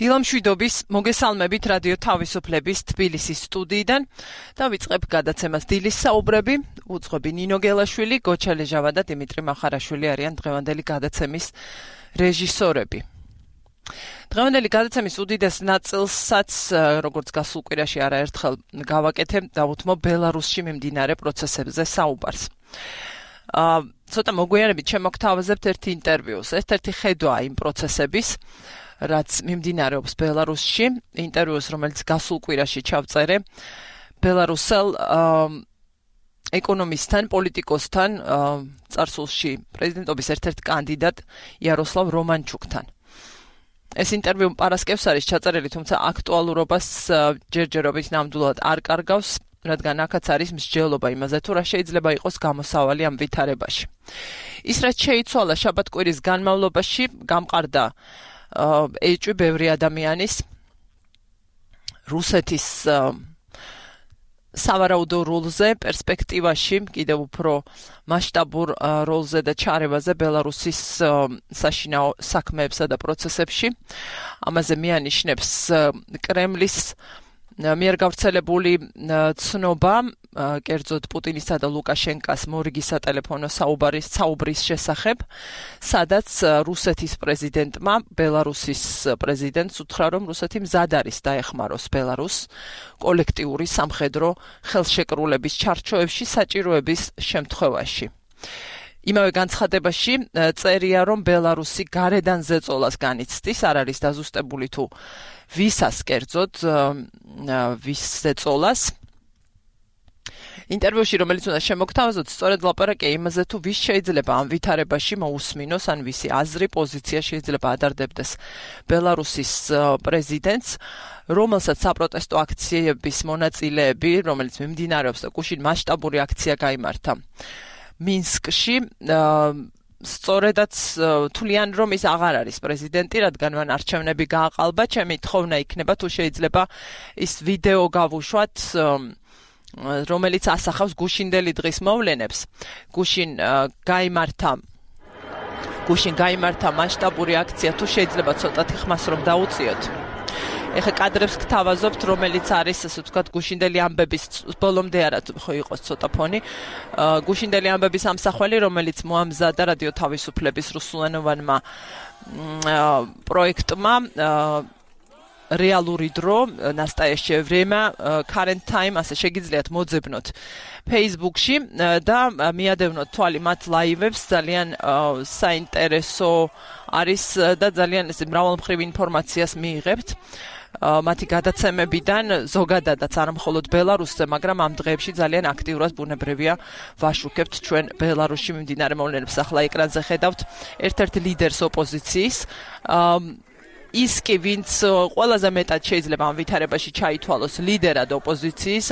დილამშვიდობის მოგესალმებით რადიო თავისუფლების თბილისის სტუდიიდან და ვიწყებ გადაცემას დილის საუბრები. უძღვები ნინო გელაშვილი, გოჩა ლეჟავა და დიმიტრი მახარაშვილი არიან დღევანდელი გადაცემის რეჟისორები. დღევანდელი გადაცემის უდიდეს ნაწილსაც, როგორც გასულ კვირაში არაერთხელ გავაკეთებ, დავუთმო ბელარუსში მიმდინარე პროცესებზე საუბარს. ცოტა მოგვიანებით შემოგთავაზებთ ერთ ინტერვიუს. ეს ერთი ხედვა იმ პროცესების, რაც მიმდინარეობს ბელარუსში, ინტერვიუს, რომელიც გასულ კვირაში ჩავწერე ბელარუსელ ეკონომისტთან, პოლიტიკოსთან, წარსულში პრეზიდენტობის ერთ-ერთ კანდიდატ იაროსლავ რომანჩუკთან. ეს ინტერვიუ პარასკევს არის ჩაწერილი, თუმცა აქტუალურობას ჯერჯერობით ნამდვილად არ კარგავს, რადგან აქაც არის მსჯელობა იმაზე, თუ რა შეიძლება იყოს გამოსავალი ამ ვითარებაში. ის, რაც შეიცვალა შაბათ-კვირის განმავლობაში, გამყარდა ეჭვი ბევრი ადამიანის რუსეთის სავარაუდო როლზე, პერსპექტივაში, კიდევ უფრო მასშტაბურ როლზე და ჩარევაზე ბელარუსის საშინაო საქმეებსა და პროცესებში. ამაზე მიანიშნებს კრემლის მიერ გავრცელებული ცნობა, კერძოდ პუტინისა და ლუკაშენკას მორიგი სატელეფონო საუბრის შესახებ, სადაც რუსეთის პრეზიდენტმა ბელარუსის პრეზიდენტს უთხრა, რომ რუსეთი მზად არის დაეხმაროს ბელარუსს კოლექტიური სამხედრო ხელშეკრულების ჩარჩოებში საჭიროების შემთხვევაში. იმავე განცხადებაში წერია, რომ ბელარუსი გარედან ზეწოლას განიცდის, არ არის დაზუსტებული თუ ვისას კერძოდ ვის ზეწოლას. ინტერვიუში, რომელიც უნდა შემოგთავაზოთ, სწორედ ლაპარაკია იმაზე, თუ ვის შეიძლება ამ ვითარებაში მოусმინოს, ან ვისი აზრი, პოზიცია შეიძლება ადარდებდეს ბელარუსის პრეზიდენტს, რომელსაც საპროტესტო აქციების მონაწილეები, რომელიც მიმდინარეობს და გუშინ მასშტაბური აქცია გაიმართა მინსკში, სწორედაც თვლიან, რომ ის აღარ არის პრეზიდენტი, რადგან მან არჩევნები გააყალბა. ჩემი თხოვნა იქნება, თუ შეიძლება ის ვიდეო გავუშვათ, რომელიც ასახავს გუშინდელი დღის მოვლენებს. გუშინ გაიმართა მასშტაბური აქცია, თუ შეიძლება ცოტათი ხმას რომ დაუწიოთ. ეხა კადრებს გთავაზობთ, რომელიც არის, ასე ვთქვათ, გუშინდელი ამბების ბოლომდე არა ხო იყოს ცოტა ფონი. გუშინდელი ამბების ამსახველი, რომელიც მოამზადა რადიო თავისუფლების რუსულენოვანმა პროექტმა რეალური დრო, nastayaщее время, current time, ასე შეგიძლიათ მოძებნოთ Facebook-ში და მიადევნოთ თვალი მათ ლაივებს, ძალიან საინტერესო არის და ძალიან მრავალმხრივ ინფორმაციას მიიღებთ. მათი გადაცემებიდან ზოგადადაც არ მხოლოდ ბელარუსზე, მაგრამ ამ დღეებში ძალიან აქტიურად ბუნებრივია ვაშუქებთ ჩვენ ბელარუსში მიმდინარე მოვლენებს. ახლა ეკრანზე ხედავთ ერთ-ერთ ლიდერს ოპოზიციის. ის კი, ვინც ყველაზე მეტად შეიძლება ამ ვითარებაში ჩაითვალოს ლიდერად ოპოზიციის,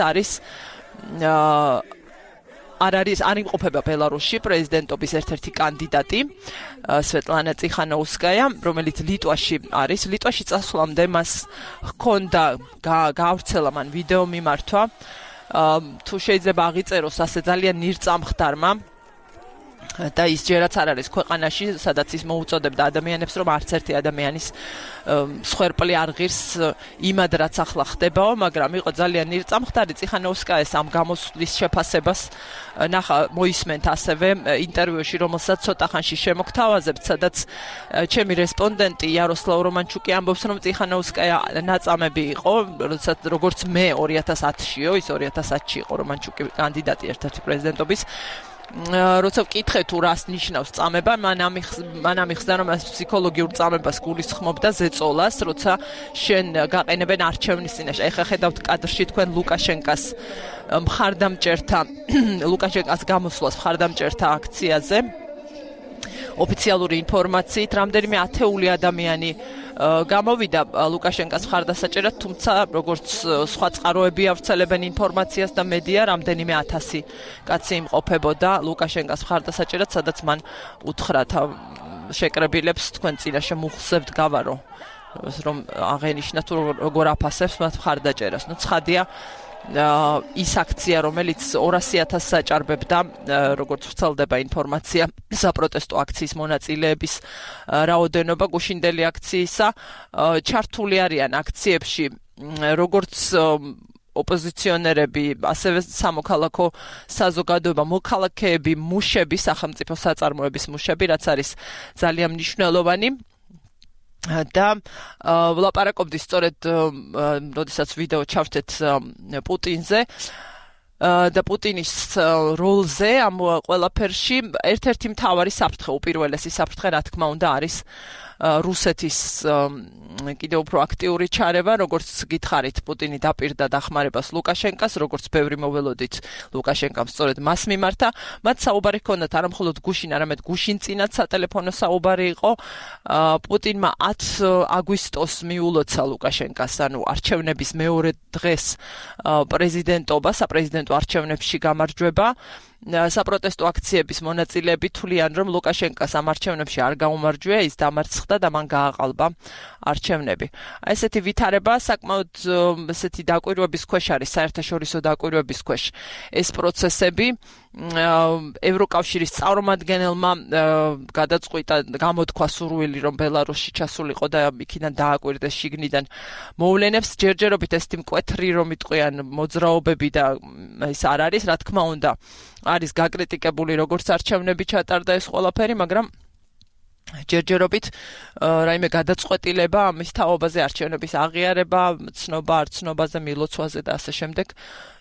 არ იმყოფება ბელარუსში პრეზიდენტობის ერთ-ერთი კანდიდატი, სვეტლანა წიხანოუსკაია, რომელიც ლიტვაში არის. ლიტვაში წასვლამდე მას ჰქონდა გაავრცელა მან ვიდეო მიმართვა, თუ შეიძლება აღიწეროს ასე ძალიან ნირწამხდარმა და ის ჯერაც არ არის ქვეყანაში, სადაც ის მოუწოდებდა ადამიანებს, რომ არც ერთი ადამიანის სხერპლი არ ღირს იმად, რაც ახლა ხდებაო, მაგრამ იყო ძალიან ნირწამხდარი. წიხანოვსკაეს ამ გამოსვლის შეფასებას მოისმენთ ასევე ინტერვიუში, რომელსაც ცოტა ხანში შემოგთავაზებთ, სადაც ჩემი რესპონდენტი იაროსლავ რომანჩუკი ამბობს, რომ წიხანოვსკაია ნაწამები იყო, როგორც მე 2010-შიო, ის 2010-ში იყო რომანჩუკი კანდიდატი ერთ-ერთი პრეზიდენტობის. როცა ვკითხე თუ რას ნიშნავს წამება, მან ამიხსნა, რომ ეს ფსიქოლოგიურ წამებას გულისხმობდა ზეწოლას, როცა შენ გაყენებენ არჩევნის წინაშე. ეხლა ხედავთ კადრში თქვენ ლუკაშენკას გამოსვლას მხარდამჭერთა აქციაზე. ოფიციალური ინფორმაციით რამდენიმე ათეული ადამიანი გამოვიდა ლუკაშენკას მხარდასაჭერად, თუმცა როგორც სხვა წყაროები ავრცელებენ ინფორმაციას და მედია, რამდენიმე 1000 კაცი იმყოფებოდა ლუკაშენკას მხარდასაჭერად, სადაც მან უთხრა შეკრებილებს, თქვენ წინაშე მუხსებთ გავარო, რომ აღენიშნათ თუ როგორ აფასებს მათ მხარდაჭერას. ცხადია ის აქცია, რომელიც 200,000 საჭარბებდა, როგორც ვრცელდება ინფორმაცია, საპროტესტო აქციის მონაწილეების რაოდენობა გუშინდელი აქციისა, ჩართული არიან აქციებში, როგორც ოპოზიციონერები, ასევე სამოქალაქო საზოგადოება, მოქალაქეები, მუშები, სახელმწიფო საწარმოების მუშები, რაც არის ძალიან მნიშვნელოვანი. და ვლაპარაკობდი სწორედ, როდესაც ვიდეო ჩავთეთ პუტინზე და პუტინის როლზე ამ ყველაფერში, ერთ-ერთი მთავარი საფრთხე, უპირველესი საფრთხე, რა თქმა უნდა, არის რუსეთის კიდევ უფრო აქტიური ჩარევა, როგორც გითხარით, პუტინი დაპირდა დახმარებას ლუკაშენკას, როგორც ბევრი მოველოდით ლუკაშენკამ სწორედ მას მიმართა, მათ საუბარი ჰქონდათ არა მხოლოდ გუშინ, არამედ გუშინწინაც სატელეფონო საუბარი იყო. პუტინმა 10 აგვისტოს მიულოცა ლუკაშენკას, ანუ არჩევნების მეორე დღეს პრეზიდენტობა, საპრეზიდენტო არჩევნებში გამარჯვება. საპროტესტო აქციების მონაწილეები თვლიან, რომ ლუკაშენკას ამ არჩევნებში არ გაუმარჯვია, ის დამარცხდა და მან გააყალბა არჩევნები. ესეთი ვითარება საკმაოდ ესეთი დაკვირვების ქვეშ არის, საერთაშორისო დაკვირვების ქვეშ ეს პროცესები. ევროკავშირის წარმომადგენელმა გადაწყვიტა, გამოთქვა სურვილი, რომ ბელარუსში ჩასულიყო და იქიდან დააკვირდეს შიგნიდან მოვლენებს. ჯერჯერობით ეს მკვეთრი, რომ იტყვიან მოძრაობები და ეს არ არის, რა თქმა უნდა, არის გაკრიტიკებული, როგორც არჩევნები ჩატარდა ეს ყველაფერი, მაგრამ ჯერჯერობით რაიმე გადაწყვეტილება ამის თაობაზე, არჩევნების აღიარება, ცნობა, არ ცნობაზე, მილოცვაზე და ასე შემდეგ,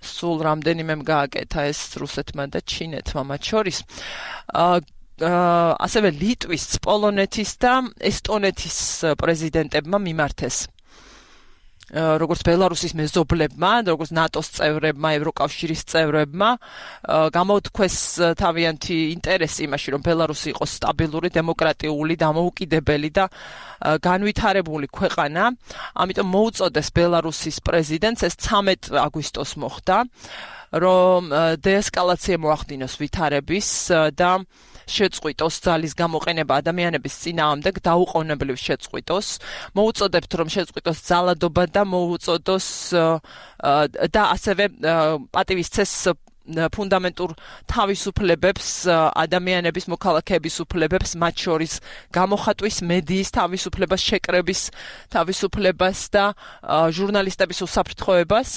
სულ რამდენიმემ გააკეთა ეს რუსეთმა და ჩინეთმა მათ შორის. ასევე ლიტვის, პოლონეთის და ესტონეთის პრეზიდენტებმა მიმართეს, როგორც ბელარუსის მეზობლებმა, როგორც ნატოს წევრებმა, ევროკავშირის წევრებმა, გამოთქვეს თავიანთი ინტერესი იმაში, რომ ბელარუსი იყოს სტაბილური, დემოკრატიული, დამოუკიდებელი და განვითარებული ქვეყანა. ამიტომ მოუწოდეს ბელარუსის პრეზიდენტს, ეს 13 აგვისტოს მოხდა, რომ დეესკალაცია მოახდინოს ვითარების და შეწყვიტოს ძალის გამოყენება ადამიანების წინააღმდეგ, დაუყოვნებლივ შეწყვიტოს. მოუწოდებთ, რომ შეწყვიტოს ძალადობა და მოუწოდოს და ასევე პატივისცეს ფუნდამენტურ თავისუფლებებს, ადამიანების, მოქალაქეების უფლებებს, მათ შორის გამოხატვის, მედიის თავისუფლებას, შეკრების თავისუფლებას და ჟურნალისტების უსაფრთხოებას.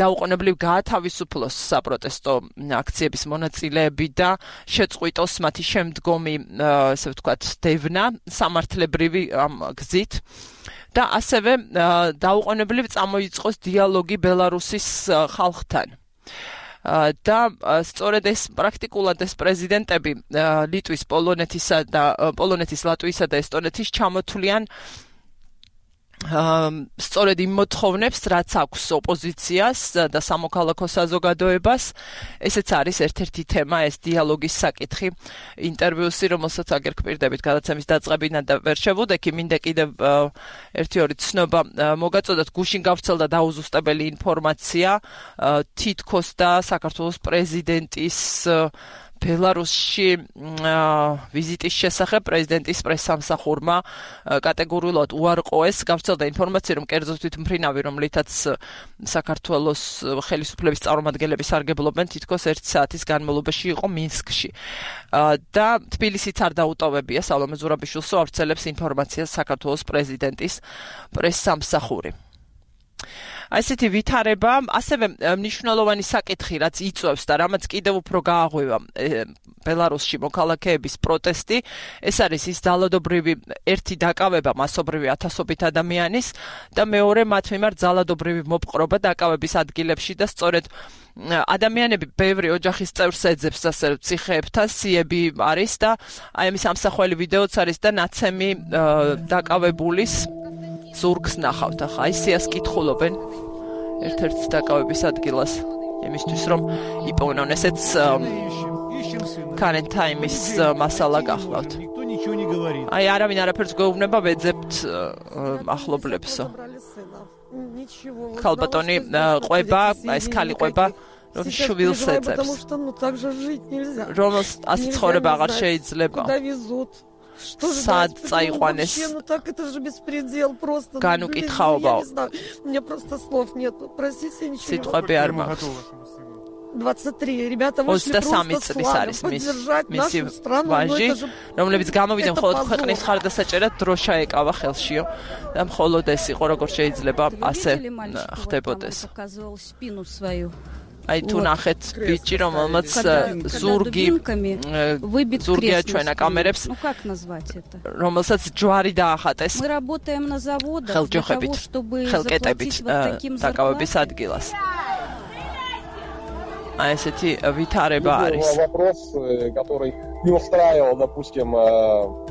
დაუყოვნებლივ გაათავისუფლოს საპროტესტო აქციების მონაწილეები და შეწყვიტოს მათი შემდგომი, ასე ვთქვათ, დევნა სამართლებრივი გზით. და ასევე დაუყოვნებლივ წამოიწყოს დიალოგი ბელარუსის ხალხთან. და სწორედ ეს პრაქტიკულად ეს პრეზიდენტები ლიტვის, პოლონეთის, ლატვიისა და ესტონეთის ჩამოთვლიან სწორედ იმ მოთხოვნებს, რაც აქვს ოპოზიციას და სამოქალაქო საზოგადოებას. ესეც არის ერთ-ერთი თემა, ეს დიალოგის საკითხი, ინტერვიუსი, რომელსაც აგერ გპირდებით გადაცემის დაწყებიდან და ვერ შევუდექი, მინდა კიდევ ერთი-ორი ცნობა მოგაწოდოთ. გუშინ გავრცელდა დაუზუსტებელი ინფორმაცია თითქოს და საქართველოს პრეზიდენტის ბელარუსში ვიზიტის შესახებ პრეზიდენტის პრესსამსახურმა კატეგორიულად უარყოეს. გავრცელდა ინფორმაცია, რომ კერძო თვითმფრინავი, რომლითაც საქართველოს ხელისუფლების წარმომადგენლები სარგებლობენ, თითქოს 1 საათის განმავლობაში იყო მინსკში. და თბილისიც არ დაუტოვებია, სალომე ზურაბიშვილს ავრცელებს ინფორმაციას საქართველოს პრეზიდენტის პრესსამსახური. ასეთი ვითარება, ასევე მნიშვნელოვანი საკითხი, რაც იწვევს და რამაც კიდევ უფრო გააღვივა ბელარუსში მოქალაქეების პროტესტი, ეს არის ის ძალადობრივი ერთი დაკავება მასობრივი ათასობით ადამიანის და მეორე მათ მიმართ ძალადობრივი მოპყრობა დაკავების ადგილებში და სწორედ ადამიანები ბევრი ოჯახის წევრს ეძებს, ასე რომ ციხეებთან სიები არის და აი ამის ამსახველი ვიდეოც არის და ნაცემი დაკავებულის ზურგს ნახავთ. ახლა აი სიას კითხულობენ ერთ-ერთ დაკავების ადგილას იმისთვის, რომ იპოვნონ. ესეც current time-ის მასალა გახლავთ. აი არავინ არაფერს გვეუბნება, ვეძებთ ახლობლებსო. ქალბატონი ყვება, ეს ქალი ყვება, რომ შვილს ეძებს. რომელს ასე ცხოვრება აღარ შეიძლება. სად წაიყვანეს Ну так это же беспредел просто. განუკითხაობა У меня просто слов нет. Простите, ничего. სიტყვები არ მაქვს 23 ребята вышли 23 просто წლის არის поддержать нашу страну. ვაჟი რომლებიც გამოვიდნენ მხოლოდ ქვეყნის ხარდასაჭერად დროშა ეკავა ხელშიო და მხოლოდ ეს იყო როგორ შეიძლება ასე ხდებოდეს აი თუ ნახეთ ბიჭი რომელმაც ზურგი აჩვენა კამერებს რომელსაც ჯვარი დაახატეს ხელჯოხებით ხელკეტებით დაკავების ადგილას А эти ვითარება არის. Вопрос, который не устраивал, допустим,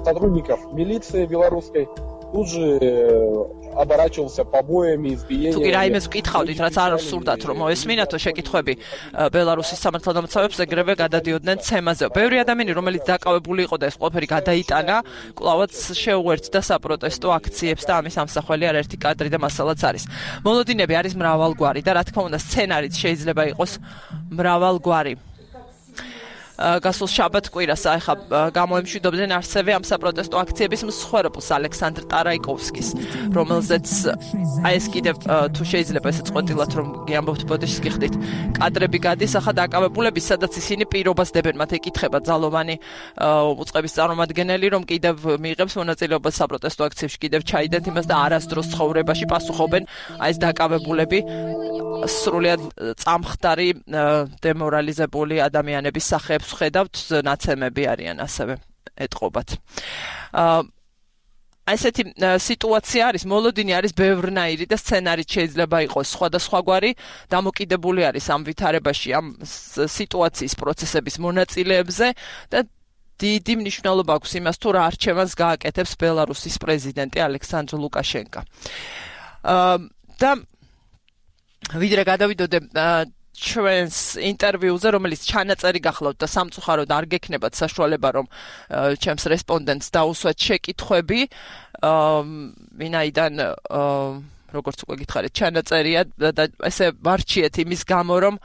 сотрудников милиции белорусской, тут же оборачивался побоями, избиениями. თუ კი რაიმეს ვკითხავდით, რაც არ სურდათ რომ მოესმინათო შეკითხვები ბელარუსის სამართალდამცავებს ეგრევე გადადიოდნენ ცემაზე. ბევრი ადამიანი, რომელიც დაკავებული იყო და ეს ყველაფერი გადაიტანა, კვლავაც შეუერთდა საპროტესტო აქციებს და ამის ამსახველი არაერთი კადრი და მასალაც არის. მოლოდინები არის მრავალგვარი და რა თქმა უნდა სცენარიც შეიძლება იყოს მრავალგვარი. გასულ შაბათ კვირას ახლა გამოემშვიდობდნენ არსებე ამ საპროტესტო აქციების მსხვერპლს ალექსანდრ ტარაიკოვსკის რომელზეც აი ეს კიდევ თუ შეიძლება ესე წყვეტილად რომ გიამბობთ ბოდიშს გიხდით კადრები გადის ახლა დაკავებულების სადაც ისინი პირობას დებენ მათ ეკითხება ძალოვანი უწყების წარმომადგენელი რომ კიდევ მიიღებს მონაწილეობას საპროტესტო აქციებში კიდევ ჩაიდეთ იმას და არასდროს ცხოვრებაში პასუხობენ აი ეს დაკავებულები სრულიად წამხდარი დემორალიზებული ადამიანების სახეებს ხედავთ ნაცემები არიან ასევე ეტყობათ ასეთი სიტუაცია არის მოლოდინი არის ბევრნაირი და სცენარით შეიძლება იყოს სხვადასხვაგვარი დამოკიდებული არის ამ ვითარებაში ამ სიტუაციის პროცესების მონაწილეებზე და დიდი მნიშვნელობა აქვს იმას თუ რა არჩევანს გააკეთებს ბელარუსის პრეზიდენტი ალექსანდრ ლუკაშენკო და ვიდრე გადავიდოდე ჩვენს ინტერვიუზე, რომელიც ჩანაწერი გახლავთ და სამწუხაროდ არ გექნებათ საშუალება, რომ ჩემს რესპონდენტს დაუსვათ შეკითხვები, ვინაიდან როგორც უკვე გითხარით, ჩანაწერია და ესე ვარჩიეთ იმის გამო, რომ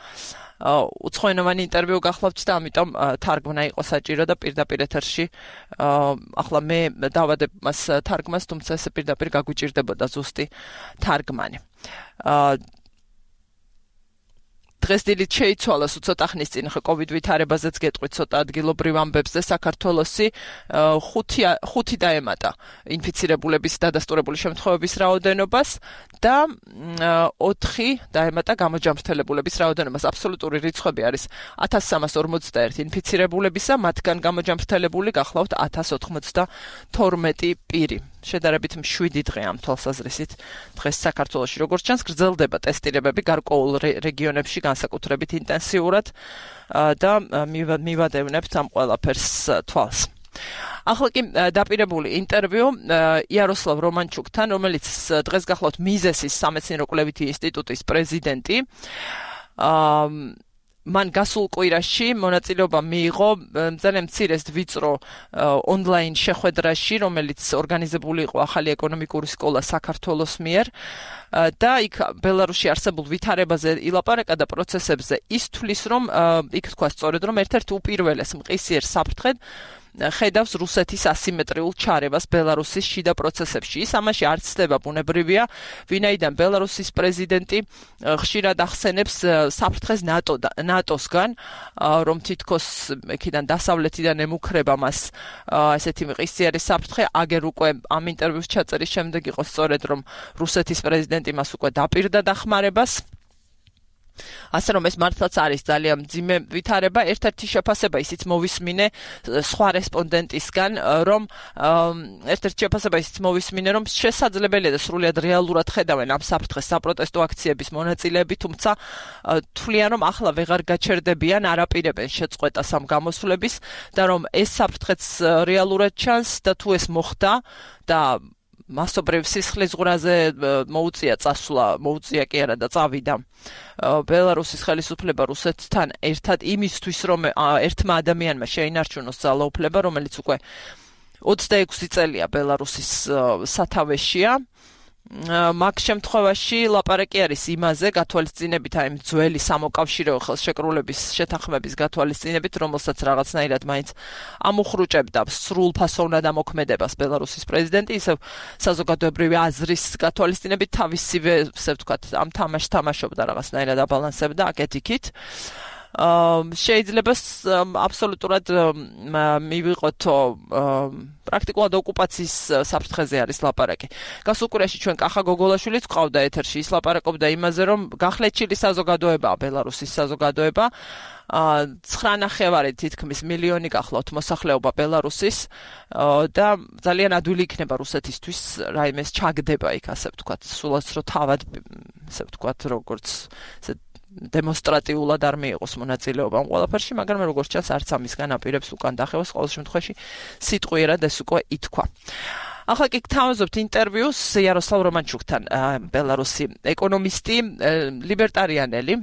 უცხოენოვანი ინტერვიუ გახლავთ და ამიტომ თარგმნა იყო საჭირო და პირდაპირ ეთერში ახლა მე დავადებ მას თარგმას, თუმცა ესე პირდაპირ გაგვიჭირდებოდა ზუსტი თარგმანი. დღეს დილით შეიცვალა ცოტა ხნის წინ COVID ვითარებაზეც გეტყვით ცოტა ადგილობრივ ამბებზე საქართველოსი 5 დაემატა ინფიცირებულების დადასტურებული შემთხვევების რაოდენობას და 4 დაემატა გამოჯამრთელებულების რაოდენობას. აბსოლუტური რიცხვები არის 1341 ინფიცირებულებისა, მათგან გამოჯამრთელებული გახლავთ 1092 პირი. შედარებით 7 დღე ამ თვალსაზრისით დღეს საქართველოში როგორც ჩანს გრძელდება ტესტირებები გარკვეულ რეგიონებში განსაკუთრებით ინტენსიურად და მივადევნებთ ამ ყველაფერს თვალს. ახლა კი დაპირებული ინტერვიუ იაროსლავ რომანჩუკთან, რომელიც დღეს გახლავთ მიზესის სამეცნიერო კვლევითი ინსტიტუტის პრეზიდენტი. მან გასულ კვირაში მონაწილეობა მიიღო ძალიან მცირეს ვიწრო ონლაინ შეხვედრაში, რომელიც ორგანიზებული იყო ახალი ეკონომიკური სკოლა საქართველოს მიერ და იქ ბელარუსში არსებულ ვითარებაზე ილაპარაკა და პროცესებზე ის თვლის, რომ იქ თქვა სწორედ, რომ ერთ-ერთ უპირველეს მყისიერ საფრთხედ ხედავს რუსეთის ასიმეტრიულ ჩარევას ბელარუსის შიდა პროცესებში. ის ამაში არ ცდება ბუნებრივია, ვინაიდან ბელარუსის პრეზიდენტი ხშირად ახსენებს საფრთხეს ნატოსგან, რომ თითქოს იქიდან დასავლეთიდან ემუქრება მას ესეთი მყისიერი საფრთხე, აგერ უკვე ამ ინტერვიუს ჩაწერის შემდეგ იყო სწორედ, რომ რუსეთის პრეზიდენტი მას უკვე დაპირდა დახმარებას. ასე რომ ეს მართლაც არის ძალიან მძიმე ვითარება. ერთ-ერთი შეფასება ისიც მოვისმინე სხვა რესპონდენტისგან, რომ რომ შესაძლებელია და სრულიად რეალურად ხედავენ ამ საფრთხეს საპროტესტო აქციების მონაწილეები, თუმცა თვლიან, რომ ახლა ვეღარ გაჩერდებიან, არაპირებენ შეწყვეტას ამ გამოსვლების და რომ ეს საფრთხეც რეალურად ჩანს და თუ ეს მოხდა და მასობრივ სისხლის ზღვრაზე მოუწია წასვლა, მოუწია კი არა და წავიდა ბელარუსის ხელისუფლება რუსეთთან ერთად იმისთვის, რომ ერთმა ადამიანმა შეინარჩუნოს ძალაუფლება, რომელიც უკვე 26 წელია ბელარუსის სათავეშია მაგ შემთხვევაში ლაპარაკი არის იმაზე გათვალისწინებით აი ძველი სამოკავშირეო ხელშეკრულების შეთანხმების გათვალისწინებით, რომელსაც რაღაცნაირად მაინც ამუხრუჭებდა სრულ ფასოვნად ამოქმედებას ბელარუსის პრეზიდენტი, ისევ საზოგადოებრივი აზრის გათვალისწინებით თავისივე, ასე ვთქვათ, ამ თამაშს თამაშობდა რაღაცნაირად აბალანსებდა აკეთიქით. შეიძლება აბსოლუტურად მივიღოთ პრაქტიკულად ოკუპაციის საფრთხეზე არის ლაპარაკი. გასულ კვირაში ჩვენ კახა გოგოლაშვილიც ყავდა ეთერში, ის ლაპარაკობდა იმაზე, რომ გახლეჩილი საზოგადოებაა ბელარუსის საზოგადოება. 9.5 თითქმის მილიონი გახლავთ მოსახლეობა ბელარუსის და ძალიან ადვილი იქნება რუსეთისთვის რაიმეს ჩაგდება იქ, ასე ვთქვათ, სულაც რო თავად, ასე ვთქვათ, როგორც დემონსტრატიულად არ მიიღოს მონაწილეობა ამ ყველაფერში, მაგრამ როგორც ჩანს არც ამისგან აპირებს უკან დახევას, ყოველ შემთხვევაში სიტყვიერად ეს უკვე ითქვა. ახლა კი გთავაზობთ ინტერვიუს იაროსლავ რომანჩუკთან, ბელარუსი ეკონომისტი, ლიბერტარიანელი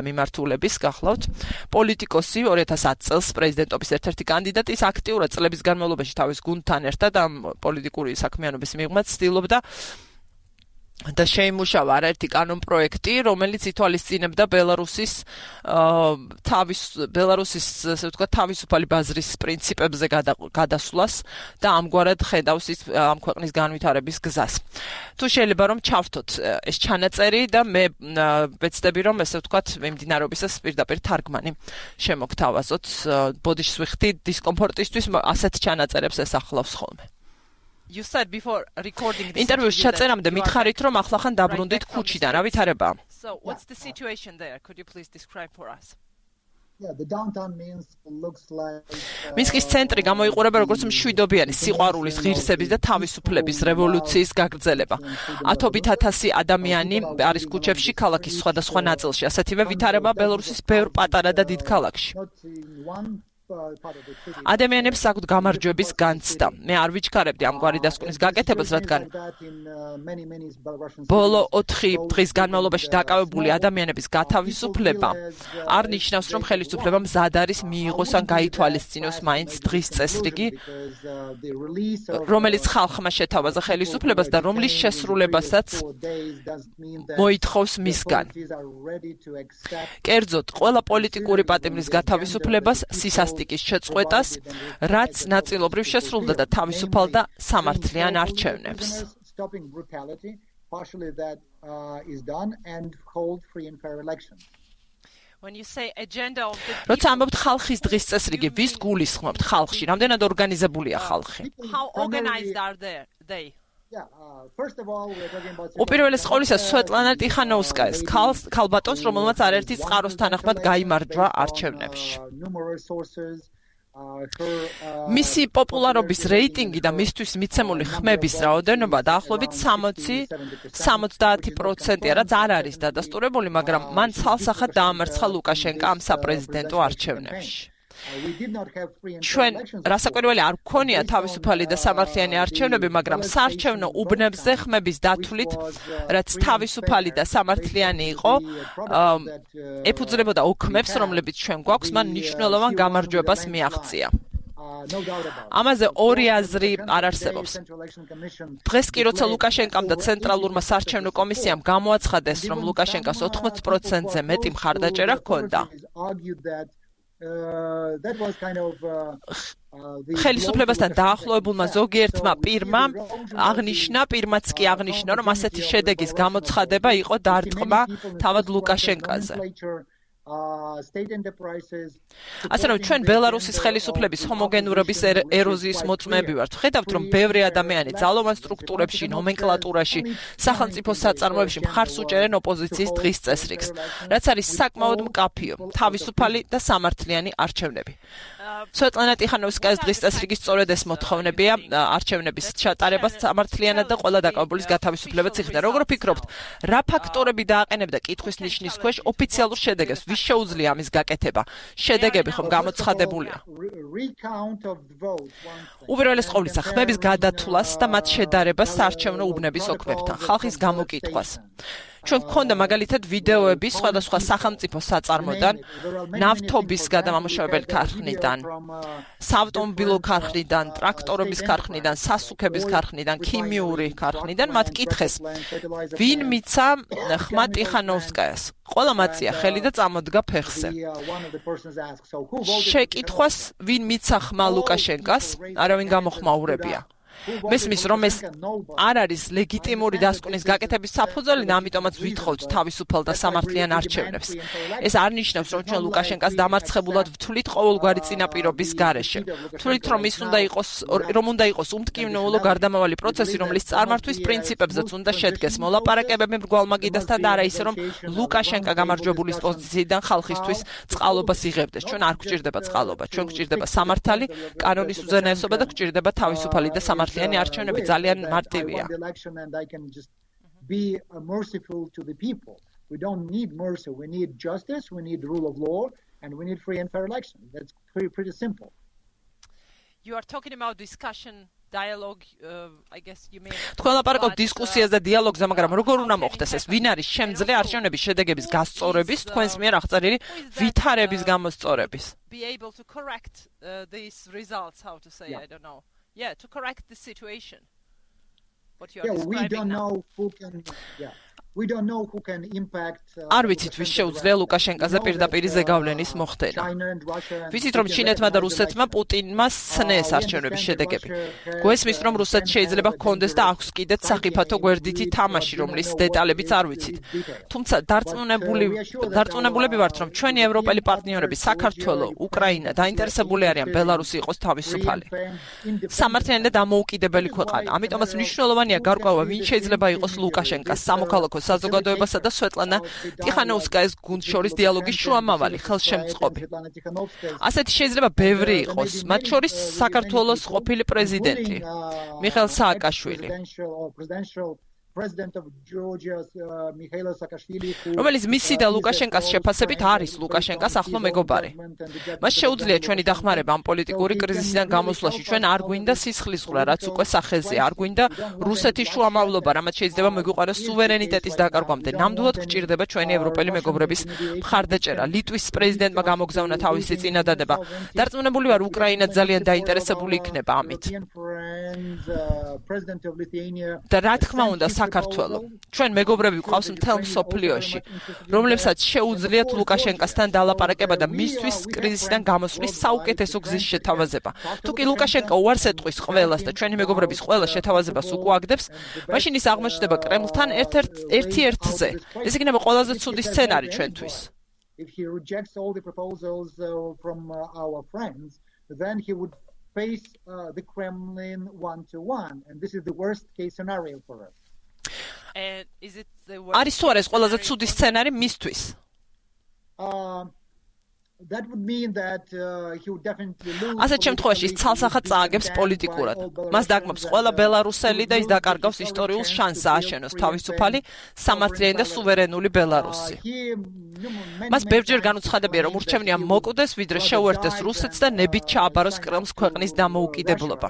მიმართულების გახლავთ, პოლიტიკოსი 2010 წელს პრეზიდენტობის ერთ-ერთი კანდიდატი, ის აქტიურად წლების განმავლობაში თავის გუნდთან ერთად ამ პოლიტიკური საქმიანობის მიღმაც ცდილობდა და შეიმუშავა არაერთი კანონპროექტი, რომელიც ითვალისწინებდა ბელარუსის ასე ვთქვათ, თავისუფალი ბაზრის პრინციპებზე გადასვლას და ამგვარად ხედავს ის ამ ქვეყნის განვითარების გზას. თუ შეიძლება რომ ჩავთოთ ეს ჩანაწერი და მე ვეცდები რომ ასე ვთქვათ, მიმდინარეობისას პირდაპირ თარგმანი შემოგთავაზოთ. ბოდიშს ვიხდი დისკომფორტისთვის, ასეთ ჩანაწერებს ესახლავს ხოლმე. You said before recording this interview შეწერამდე მითხარით რომ ახლახან დაბრუნდით ქუჩიდან, რა ვითარებაა? So what's the situation there? Could you please describe for us? Yeah, the downtown Minsk looks like Minskis ცენტრი გამოიყურება როგორც მშვიდობიანი სიყვარულის, ღირსების და თავისუფლების რევოლუციის გაგრძელება. ათობით ათასი ადამიანი არის ქუჩებში ქალაქის სხვადასხვა ნაწილში. ასეთივე ვითარება ბელარუსის ბევრ პატარა და დიდ ქალაქში. ადამიანებს აქვთ გამარჯვების განცდა. მე არ ვიჩქარებდი ამგვარი დასკვნის გაკეთებას, რადგან ბოლო 4 დღის განმავლობაში დაკავებული ადამიანების გათავისუფლება არ ნიშნავს, რომ ხელისუფლება მზად არის მიიღოს ან გაითვალისწინოს მაინც დღის წესრიგი, რომელიც ხალხმა შეთავაზა ხელისუფლებას და რომლის შესრულებასაც მოითხოვს მისგან. კერძოდ, ყველა პოლიტიკური პატიმრის გათავისუფლებას, სისასტიკის შეწყვეტას, რაც ნაწილობრივ შესრულდა და თავისუფალდა სამართლიან არჩევნებს. When you say agenda of the როცა ამბობთ ხალხის დღის წესრიგი, ვის გულისხმობთ ხალხში? რამდენად ორგანიზებულია ხალხი? how organized are they? უპირველეს ყოვლისა სვეტლანა ტიხანოვსკაის ქალბატონს, რომელმაც არაერთი წყაროს თანახმად გაიმარჯვა არჩევნებში. მისი პოპულარობის რეიტინგი და მისთვის მიცემული ხმების რაოდენობა დაახლოებით 60% რაც არ არის დადასტურებული, მაგრამ მან ცალსახად დაამარცხა ლუკაშენკა ამ საპრეზიდენტო არჩევნებში. ჩვენ რასაკვირველი არ გქონია თავისუფალი და სამართლიანი არჩევნები, მაგრამ საარჩევნო უბნებზე ხმების დათვლით, რაც თავისუფალი და სამართლიანი იყო, ეფუძნებოდა ოქმებს, რომლებიც ჩვენ გვაქვს, მან მნიშვნელოვან გამარჯვებას მიაღწია. ამაზე ორი აზრი არ არსებობს. დღეს კი როცა ლუკაშენკამ და ცენტრალურმა საარჩევნო კომისიამ გამოაცხადეს, რომ ლუკაშენკას 80%-ზე მეტი მხარდაჭერა ჰქონდა, ხელისუფლებასთან დაახლოებულმა ზოგიერთმა პირმა პირმაც კი აღნიშნა, რომ ასეთი შედეგის გამოცხადება იყო დარტყმა თავად ლუკაშენკაზე. ასე რომ ჩვენ ბელარუსის ხელისუფლების ჰომოგენურობის ეროზიის მოწმეები ვართ. ხედავთ, რომ ბევრი ადამიანი ძალოვან სტრუქტურებში, ნომენკლატურაში, სახელმწიფო საწარმოებში მხარს უჭერენ ოპოზიციის დღის წესრიგს, რაც არის საკმაოდ მკაფიო, თავისუფალი და სამართლიანი არჩევნები. სვეტლანა ტიხანოვსკაის დღის წესრიგის სწორედ ეს მოთხოვნებია არჩევნების ჩატარებას სამართლიანად და ყველა დაკავებულის გათავისუფლებას იხდა. როგორ ფიქრობთ, რა ფაქტორები დააყენებდა კითხვის ნიშნის ქვეშ ოფიციალურ შედეგებს? ვის შეუძლია ამის გაკეთება? შედეგები ხომ გამოცხადებულია? უპირველეს ყოვლისა, ხმების გადათვლას და მათ შედარებას საარჩევნო უბნების ოქმებთან, ხალხის გამოკითხვას. ჩვენ გქონდა მაგალითად ვიდეოები სხვადასხვა სახელმწიფო საწარმოდან, ნავთობის გადამამუშავებელი ქარხნიდან, საავტომობილო ქარხნიდან, ტრაქტორების ქარხნიდან, სასუქების ქარხნიდან, ქიმიური ქარხნიდან, მათ კითხეს, ვინ მიცა ხმა ტიხანოვსკაიას. ყველა მაწია ხელი და წამოდგა ფეხზე. შეკითხვას, ვინ მიცა ხმა ლუკაშენკას, არავინ გამოხმაურებია. მესმის რომ ეს არ არის ლეგიტიმური დასკვნის გაკეთების საფუძველი და ამიტომაც ვითხოვთ თავისუფალ და სამართლიან არჩევნებს. ეს არ ნიშნავს რომ ჩვენ ლუკაშენკას დამარცხებულად ვთვლით ყოველგვარი წინაპირობის გარეშე. ვთვლით რომ უნდა იყოს უმტკივნეულო გარდამავალი პროცესი, რომლის წარმართვის პრინციპებზეც უნდა შედგეს მოლაპარაკებები მრგვალმაგიდასთან და არა ისე რომ ლუკაშენკა გამარჯვებულის პოზიციიდან ხალხისთვის წყალობას იღებდეს. ჩვენ არ გვჭირდება წყალობა, ჩვენ გვჭირდება სამართალი, კანონის უზენაესობა და გვჭირდება თავისუფალი და სამართლიანი არჩევნები ძალიან მარტივია. We don't need mercy, we need justice, we need rule of law, and we need free and fair elections. That's pretty simple. You are talking about discussion, dialogue, I guess you mean. თქვენ ლაპარაკობთ დისკუსიას და დიალოგზე, მაგრამ როგორ უნდა მოხდეს ეს? ვინ არის შემძლე არჩევნების შედეგების გასწორების, თქვენს მიერ აღწერილი ვითარების გამოსწორების? Be able to correct these results, how to say, I don't know. Yeah, to correct the situation. What you are describing we don't now. know who can, we don't know who can impact. არ ვიცით ვის შეუძლია ლუკაშენკაზე პირდაპირ ზეგავლენის მოხდენა. ვიცით რომ ჩინეთმა და რუსეთმა პუტინმა სცნეს არჩევნების შედეგები. გვესმის რომ რუსეთს შეიძლება ჰქონდეს და აქვს კიდეც საფრთხო გვერდითი თამაში, რომლის დეტალებიც არ ვიცით. თუმცა დარწმუნებულები ვართ რომ ჩვენი ევროპელი პარტნიორები საქართველო, უკრაინა დაინტერესებული არიან ბელარუსი იყოს თავისუფალი. სამართლიანი და დამოუკიდებელი ქვეყანა. ამიტომაც მნიშვნელოვანია გარკვევა ვინ შეიძლება იყოს ლუკაშენკას სამოქალაქო საზოგადოებასა და სვეტლანა ტიხანოვსკაის გუნდს შორის დიალოგის შუამავალი ხელშემწყობი. ასეთი შეიძლება ბევრი იყოს, მათ შორის საქართველოს ყოფილი პრეზიდენტი მიხეილ სააკაშვილი, President of Georgia, Mikhail Saakashvili, რომელიც მისი და ლუკაშენკას შეფასებით არის ლუკაშენკას ახლო მეგობარი. მას შეუძლია ჩვენი დახმარება ამ პოლიტიკური კრიზისიდან გამოსვლაში. ჩვენ არ გვინდა სისხლისღვრა, რაც უკვე სახეზეა. არ გვინდა რუსეთის შუამავლობა, რამაც შეიძლება მოგვიყაროს სუვერენიტეტის დაკარგვამდე. ნამდვილად გვჭირდება ჩვენი ევროპელი მეგობრების მხარდაჭერა. ლიტვის პრეზიდენტმა გამოგზავნა თავისი წინადადება. დარწმუნებული ვარ, უკრაინა ძალიან დაინტერესებული იქნება ამით. და რა თქმა უნდა, საქართველო. ჩვენ მეგობრები გვყავს მთელ მსოფლიოში, რომლებსაც შეუძლიათ ლუკაშენკასთან დალაპარაკება და მისთვის კრიზისიდან გამოსვლის საუკეთესო გზის შეთავაზება. თუ კი ლუკაშენკა უარს ეტყვის ყველას და ჩვენი მეგობრების ყველა შეთავაზებას უკუაგდებს, მაშინ ის აღმოჩნდება კრემლთან ერთ-ერთზე. ეს იქნება ყველაზე ცუდი სცენარი ჩვენთვის. If he rejects all the proposals from our friends, then he would face the Kremlin one-to-one, and this is the worst case scenario for us. And is it the არის თუ არა ეს ყველაზე ცუდი სცენარი მისთვის? That would mean that he would definitely lose. ასეთ შემთხვევაში ის ცალსახად წააგებს პოლიტიკურად. მას დაგმობს ყველა ბელარუსელი და ის დაკარგავს ისტორიულ შანსს ააშენოს თავისუფალი, სამართლიანი და სუვერენული ბელარუსი. მას ბევრჯერ განუცხადებია, რომ ურჩევნია მოკვდეს, ვიდრე შეუერთდეს რუსეთს და ნებით ჩააბაროს კრემლს ქვეყნის დამოუკიდებლობა.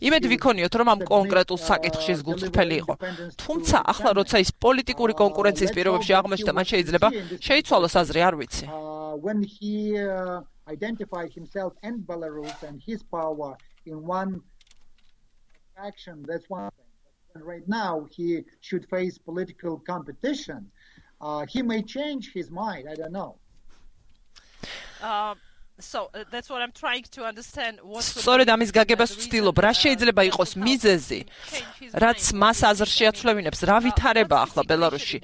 იმედი ვიქონიოთ, რომ ამ კონკრეტულ საკითხში ეს გულწრფელი იყო. თუმცა, ახლა როცა ის პოლიტიკური კონკურენციის პირობებში აღმოჩნდა, მან შეიძლება შეიცვალოს აზრი, არ ვიცი. When he identified himself and Belarus and his power in one action, that's one thing. And right now, he should face political competition. He may change his mind. I don't know. So that's what I'm trying to understand. სწორედ ამის გაგებას ვცდილობ, რა შეიძლება იყოს მიზეზი, რაც მას აზრში აცვლევინებს, რა ვითარება ახლა ბელარუსში.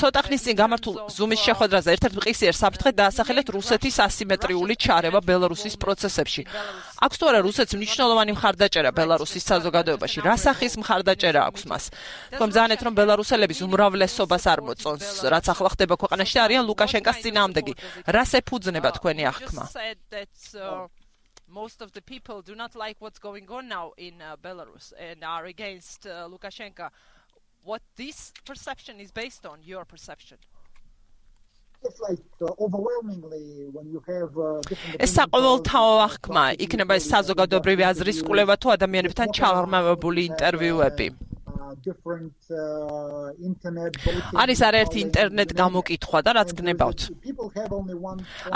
ცოტა ხნის წინ გამართულ ზუმის შეხვედრაზე ერთ-ერთ მყისიერ საფრთხედ დაასახელეთ რუსეთის ასიმეტრიული ჩარევა ბელარუსის პროცესებში. აქვს თუ არა რუსეთს მნიშვნელოვანი მხარდაჭერა ბელარუსის საზოგადოებაში? რა სახის მხარდაჭერა აქვს მას? თქვენ მზანეთ, რომ ბელარუსელების უმრავლესობას არ მოწონს, რაც ახლა ხდება ქვეყანაში და არიან ლუკაშენკას წინააღმდეგი. რას ეფუძნება თქვენი აღქმა? Said that most of the people do not like what's going on now in Belarus and are against Lukashenko. What this perception is based on, your perception? It's like overwhelmingly when you have different. ეს საყოველთაო აღქმა იქნება ეს საზოგადოებრივი აზრის კვლევა თუ ადამიანებთან ჩაღრმავებული ინტერვიუები. different internet voting. არის არაერთი ინტერნეტ გამოკითხვა და რაც გნებავთ.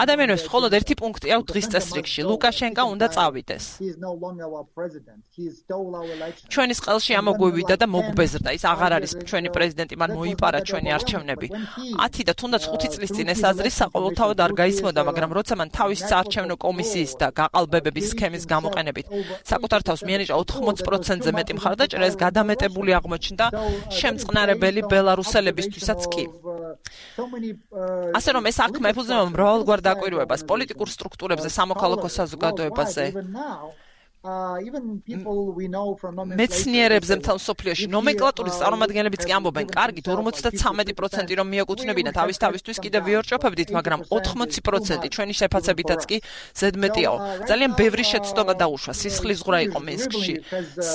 ადამიანებს მხოლოდ ერთი პუნქტი აქვს დღის წესრიგში. ლუკაშენკა უნდა წავიდეს. ჩვენის ყელში ამოგვივიდა და მოგვბეზრდა. ის აღარ არის ჩვენი პრეზიდენტი, მან მოიპარა ჩვენი არჩევნები. 10 და თუნდაც 5 წლის წინ ეს აზრი საყოველთაოდ არ გაისმოდა, მაგრამ როცა მან თავის საარჩევნო კომისიის და გაყალბებების სქემის გამოყენებით საკუთარ თავს მიანიჭა 80%-ზე მეტი მხარდაჭერა, ეს გადამეტებული აღმოჩნდა შემწყნარებელი ბელარუსელებისთვისაც კი. ასე რომ ეს საქმე ეფუძნება მრავალგვარ დაკვირვებას პოლიტიკურ სტრუქტურებზე, სამოქალაქო საზოგადოებაზე. მეცნიერებზე მთელ მსოფლიოში ნომენკლატურის წარმომადგენლებიც კი ამბობენ, კარგით 53% რომ მიეკუთვნებინა თავისთვის კიდევ ვიორჭოფებდით, მაგრამ 80% ჩვენი შეფასებითაც კი ზედმეტიაო. ძალიან ბევრი შეცდომა დაუშვა, სისხლისღვრა იყო მინსკში,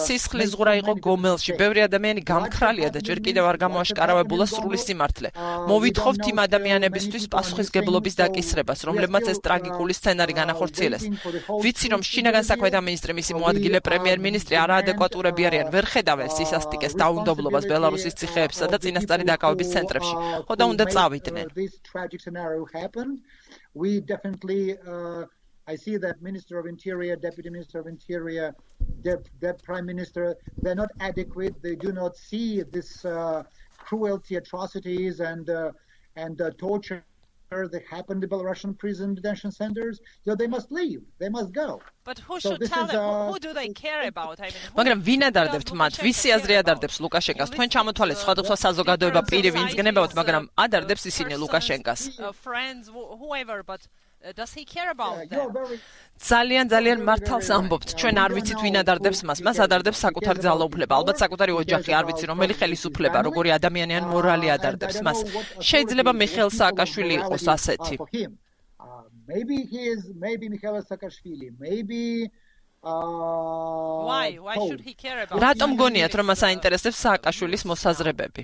სისხლისღვრა იყო გომელში, ბევრი ადამიანი გამქრალია და ჯერ კიდევ არ გამოაშკარავებულა სრული სიმართლე. მოვითხოვთ იმ ადამიანებისთვის პასუხისგებლობის დაკისრებას, რომლებმაც ეს ტრაგიკული სცენარი განახორციელეს. ვიცი რომ შინაგან საქმეთა მინისტრი მისი მოადგილე პრემიერ-მინისტრი არაადეკვატურები არიან, ვერ ხედავენ სისასტიკეს დაუნდობლობას ბელარუსის ციხეებსა და წინასწარი დაკავების ცენტრებში. ხო და უნდა წავიდნენ. We definitely I see that Minister of Interior, Deputy Minister of Interior, the Prime Minister, they're not adequate. They do not see this cruelty, atrocities and torture that happened in Belarusian prison detention centers. So they must leave. They must go. But who should tell them? Who do they care about? I mean, მაგრამ ვინ ადარდებთ მათ? ვისი აზრი ადარდებს ლუკაშენკას? თქვენ ჩამოთვალეთ სხვადასხვა საზოგადოება პირი ვინც გნებავთ, მაგრამ ადარდებს ისინი ლუკაშენკას. Friends, whoever, but does he care about them? ძალიან მართალს ამბობთ. ჩვენ არ ვიცით ვინ ადარდებს მას. მას ადარდებს საკუთარი ძალაუფლება, ალბათ საკუთარი ოჯახი, არ ვიცი რომელი ხელისუფლება, როგორი ადამიანი ან მორალი ადარდებს მას. შეიძლება მიხეილ სააკაშვილი იყოს ასეთი. Maybe he is, maybe Mikhail Saakashvili, maybe Why should he care about? რატომ გონიათ რომ მას აინტერესებს სააკაშვილის მოსაზრებები?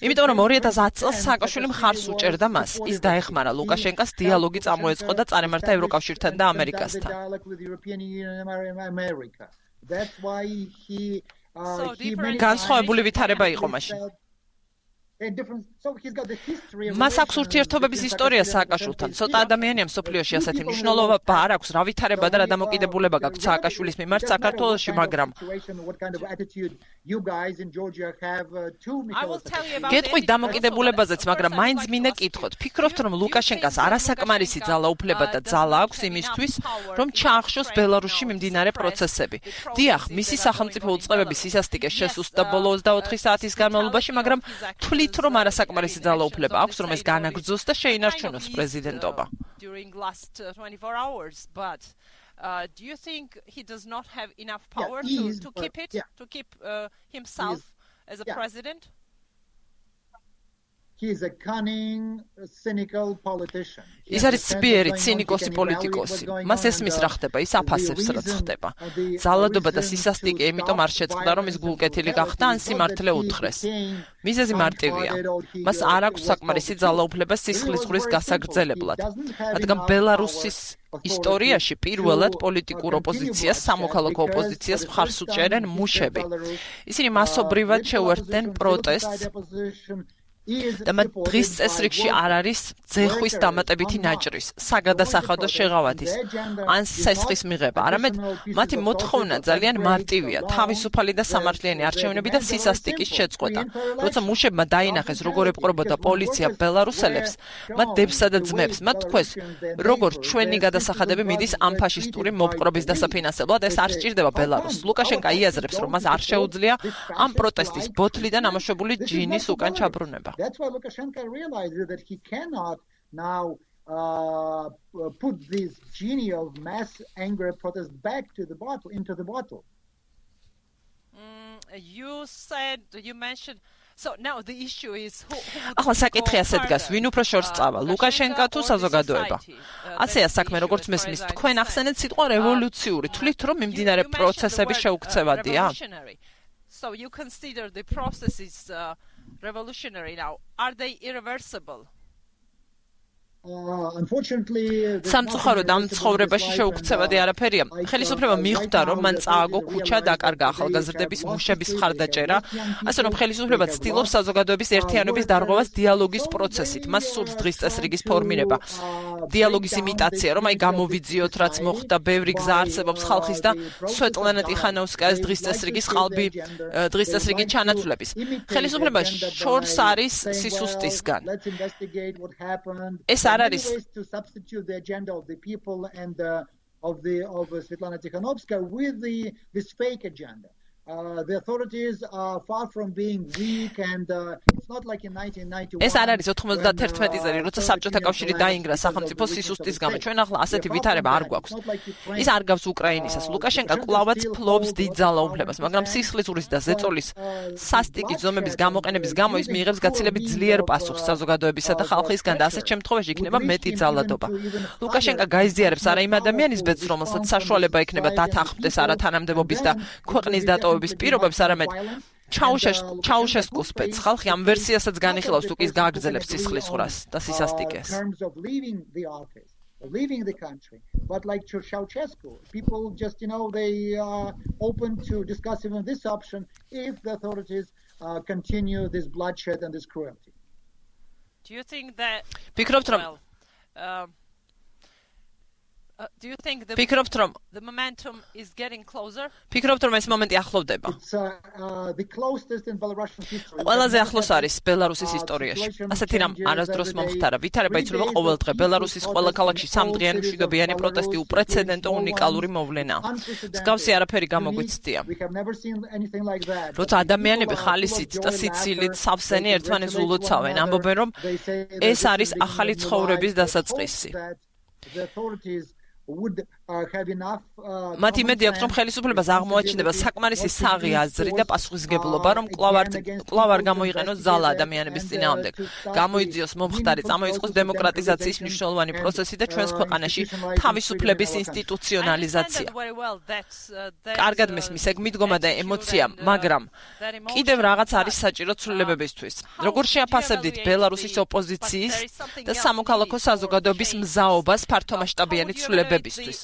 იმიტომ რომ 2010 წელს სააკაშვილი მხარს უჭერდა მას. ის დაეხმარა ლუკაშენკას, დიალოგი წამოეწყო და წარემართა ევროკავშირთან და ამერიკასთან. განსხვავებული ვითარება იყო მაშინ. მას აქვს ურთიერთობების ისტორია სააკაშვილთან. ცოტა ადამიანია მსოფლიოში ასეთი მნიშვნელობა არ აქვს, რა ვითარება და რა დამოკიდებულება გაქვს სააკაშვილის მიმართ საქართველოში, მაგრამ გეტყვით დამოკიდებულებაზეც, მაგრამ მაინც მინდა კითხოთ. ფიქრობთ რომ ლუკაშენკას არასაკმარისი ძალაუფლება და ძალა აქვს იმისთვის, რომ ჩაახშოს ბელარუსში მიმდინარე პროცესები? დიახ, მისი სახელმწიფო უწყებების სისასტიკეს შესუსტდა ბოლო 24 საათის განმავლობაში, მაგრამ თვლით რომ არასაკმარისი ძალაუფლება აქვს, რომ ეს განაგრძოს და შეინარჩუნოს პრეზიდენტობა. During last 24 hours, but do you think he does not have enough power to keep it, to keep himself as a president? He is a cunning, cynical politician. ის არის ცბიერი, ცინიკოსი პოლიტიკოსი. მას ესმის რა ხდება, ის აფასებს რაც ხდება. ძალადობა და სისასტიკე იმიტომ არ შეწყდა, რომ ის გულკეთილი გახდა ან სიმართლე უთხრეს. მიზეზი მარტივია. მას არ აქვს საკმარისი ძალაუფლება სისხლისღვრის გასაგრძელებლად. რადგან ბელარუსის ისტორიაში პირველად პოლიტიკურ ოპოზიციას, სამოქალაქო ოპოზიციას მხარს უჭერენ მუშები. ისინი მასობრივად შეუერთდნენ პროტესტს და მათ დღის წესრიგში არ არის ძეხვის დამატებითი ნაჭრის, საგადასახადო შეღავათის ან სესხის მიღება, არამედ მათი მოთხოვნა ძალიან მარტივია, თავისუფალი და სამართლიანი არჩევნები და სისასტიკის შეწყვეტა. როცა მუშებმა დაინახეს, როგორ ეპყრობოდა პოლიცია ბელარუსელებს, მათ დებსა და ძმებს, მათ თქვეს, როგორ ჩვენი გადასახადები მიდის ამ ფაშისტური მოპყრობის დასაფინანსებლად, ეს არ სჭირდება ბელარუსს. ლუკაშენკა იაზრებს, რომ მას არ შეუძლია ამ პროტესტის ბოთლიდან ამოშვებული ჯინის უკან ჩაბრუნება. That's why Lukashenko realizes that he cannot now put this genie of mass anger protest back to the bottle, into the bottle. You mentioned. So now the issue is who ახლა საკითხი ასე დგას, ვინ უფრო შორს წავა, ლუკაშენკა თუ საზოგადოება? ასეა საქმე, როგორც მესმის, თქვენ ახსენეთ სიტყვა რევოლუციური, თვლით რომ მიმდინარე პროცესები შეუქცევადია? So you consider the processes revolutionary now. Are they irreversible? Unfortunately, სამწუხაროდ ამ ცხოვრებაში შეუქცევადი არაფერია. ხელისუფლება მიხვდა, რომ მან წააგო ქუჩა, დაკარგა ახალგაზრდების მუშების მხარდაჭერა, ასე რომ ხელისუფლება ცდილობს საზოგადოების ერთიანობის დარღვევას დიალოგის პროცესით. მას სურს დღის წესრიგის ფორმირება. დიალოგის იმიტაცია, რომ აი გამოვიძიოთ, რაც მოხდა, ბევრი გზა არსებობს ხალხის და სვეტლანა ტიხანოვსკაის დღის წესრიგის ყალბი დღის წესრიგი ჩანაცვლების. ხელისუფლება შორს არის სისუსტისგან. ეს არ არის to substitute the agenda of the people and of Svetlana Tikhanovskaya with this fake agenda. The authorities are far from being weak and it's not like in 1991. ეს არ არის 91 წელი, როცა საბჭოთა კავშირი დაინგრა სახელმწიფო სისუსტის გამო. ჩვენ ახლა ასეთი ვითარება არ გვაქვს. ის არ გავს უკრაინისას. ლუკაშენკა კვლავაც ფლობს დიდ ძალაუფლებას, მაგრამ სისხლისურის და ზეწოლის სასტიკი ზომების გამოყენების გამო ის მიიღებს გაცილებით ძლიერ პასუხს საზოგადოებისა და ხალხისგან და ასეთ შემთხვევაში იქნება მეტი ძალადობა. ლუკაშენკა გაიზიარებს არა იმ ადამიანის ბედს, რომელსაც საშუალება ექნება დათანხმდეს არათანამდებობის და ქვეყნის დატოვების პირობებს, არამედ ჩაუშესკუს ბედს. ხალხი ამ ვერსიასაც განიხილავს, თუ კი ის გააგრძელებს სისხლისღვრას და სისასტიკეს. Leaving the country, but like Ceausescu, people just they are open to discuss even this option if the authorities continue this bloodshed and this cruelty. Do you think that do you think the momentum is getting closer? ფიქრობთ რომ ეს მომენტი ახლოვდება? It's the closest in Belarusian history. ყველაზე ახლოს არის ბელარუსის ისტორიაში. ასეთი რამ არასდროს მომხდარა. ვითარება იცვლება ყოველ დღე. ბელარუსის ყველა ქალაქში სამდღიანი მშვიდობიანი პროტესტი უპრეცედენტო უნიკალური მოვლენაა. მსგავსი არაფერი გამოგვიცდია. როცა ადამიანები ხალისით და სიცილით სავსენი ერთმანეთს ულოცავენ, ამბობენ რომ ეს არის ახალი ცხოვრების დასაწყისი. მათ იმედი აქვს, რომ ხელისუფლებას აღმოაჩნდება საკმარისი საღი აზრი და პასუხისმგებლობა, რომ კვლავ არ გამოიყენოს ზალა ადამიანების წინააღმდეგ. გამოიძიოს მომხდარი, წამოიწყოს დემოკრატიზაციის მნიშვნელოვანი პროცესი და ჩვენს ქვეყანაში თავისუფლების ინსტიტუციონალიზაცია. კარგად მესმის ეგ მიდგომა და ემოცია, მაგრამ კიდევ რაღაც არის საჭირო ცვლილებებისთვის. როგორ შეაფასებდით ბელარუსის ოპოზიციის და სამოქალაქო საზოგადოების მზაობას ფართომასშტაბიანი ცვლილებებისთვის?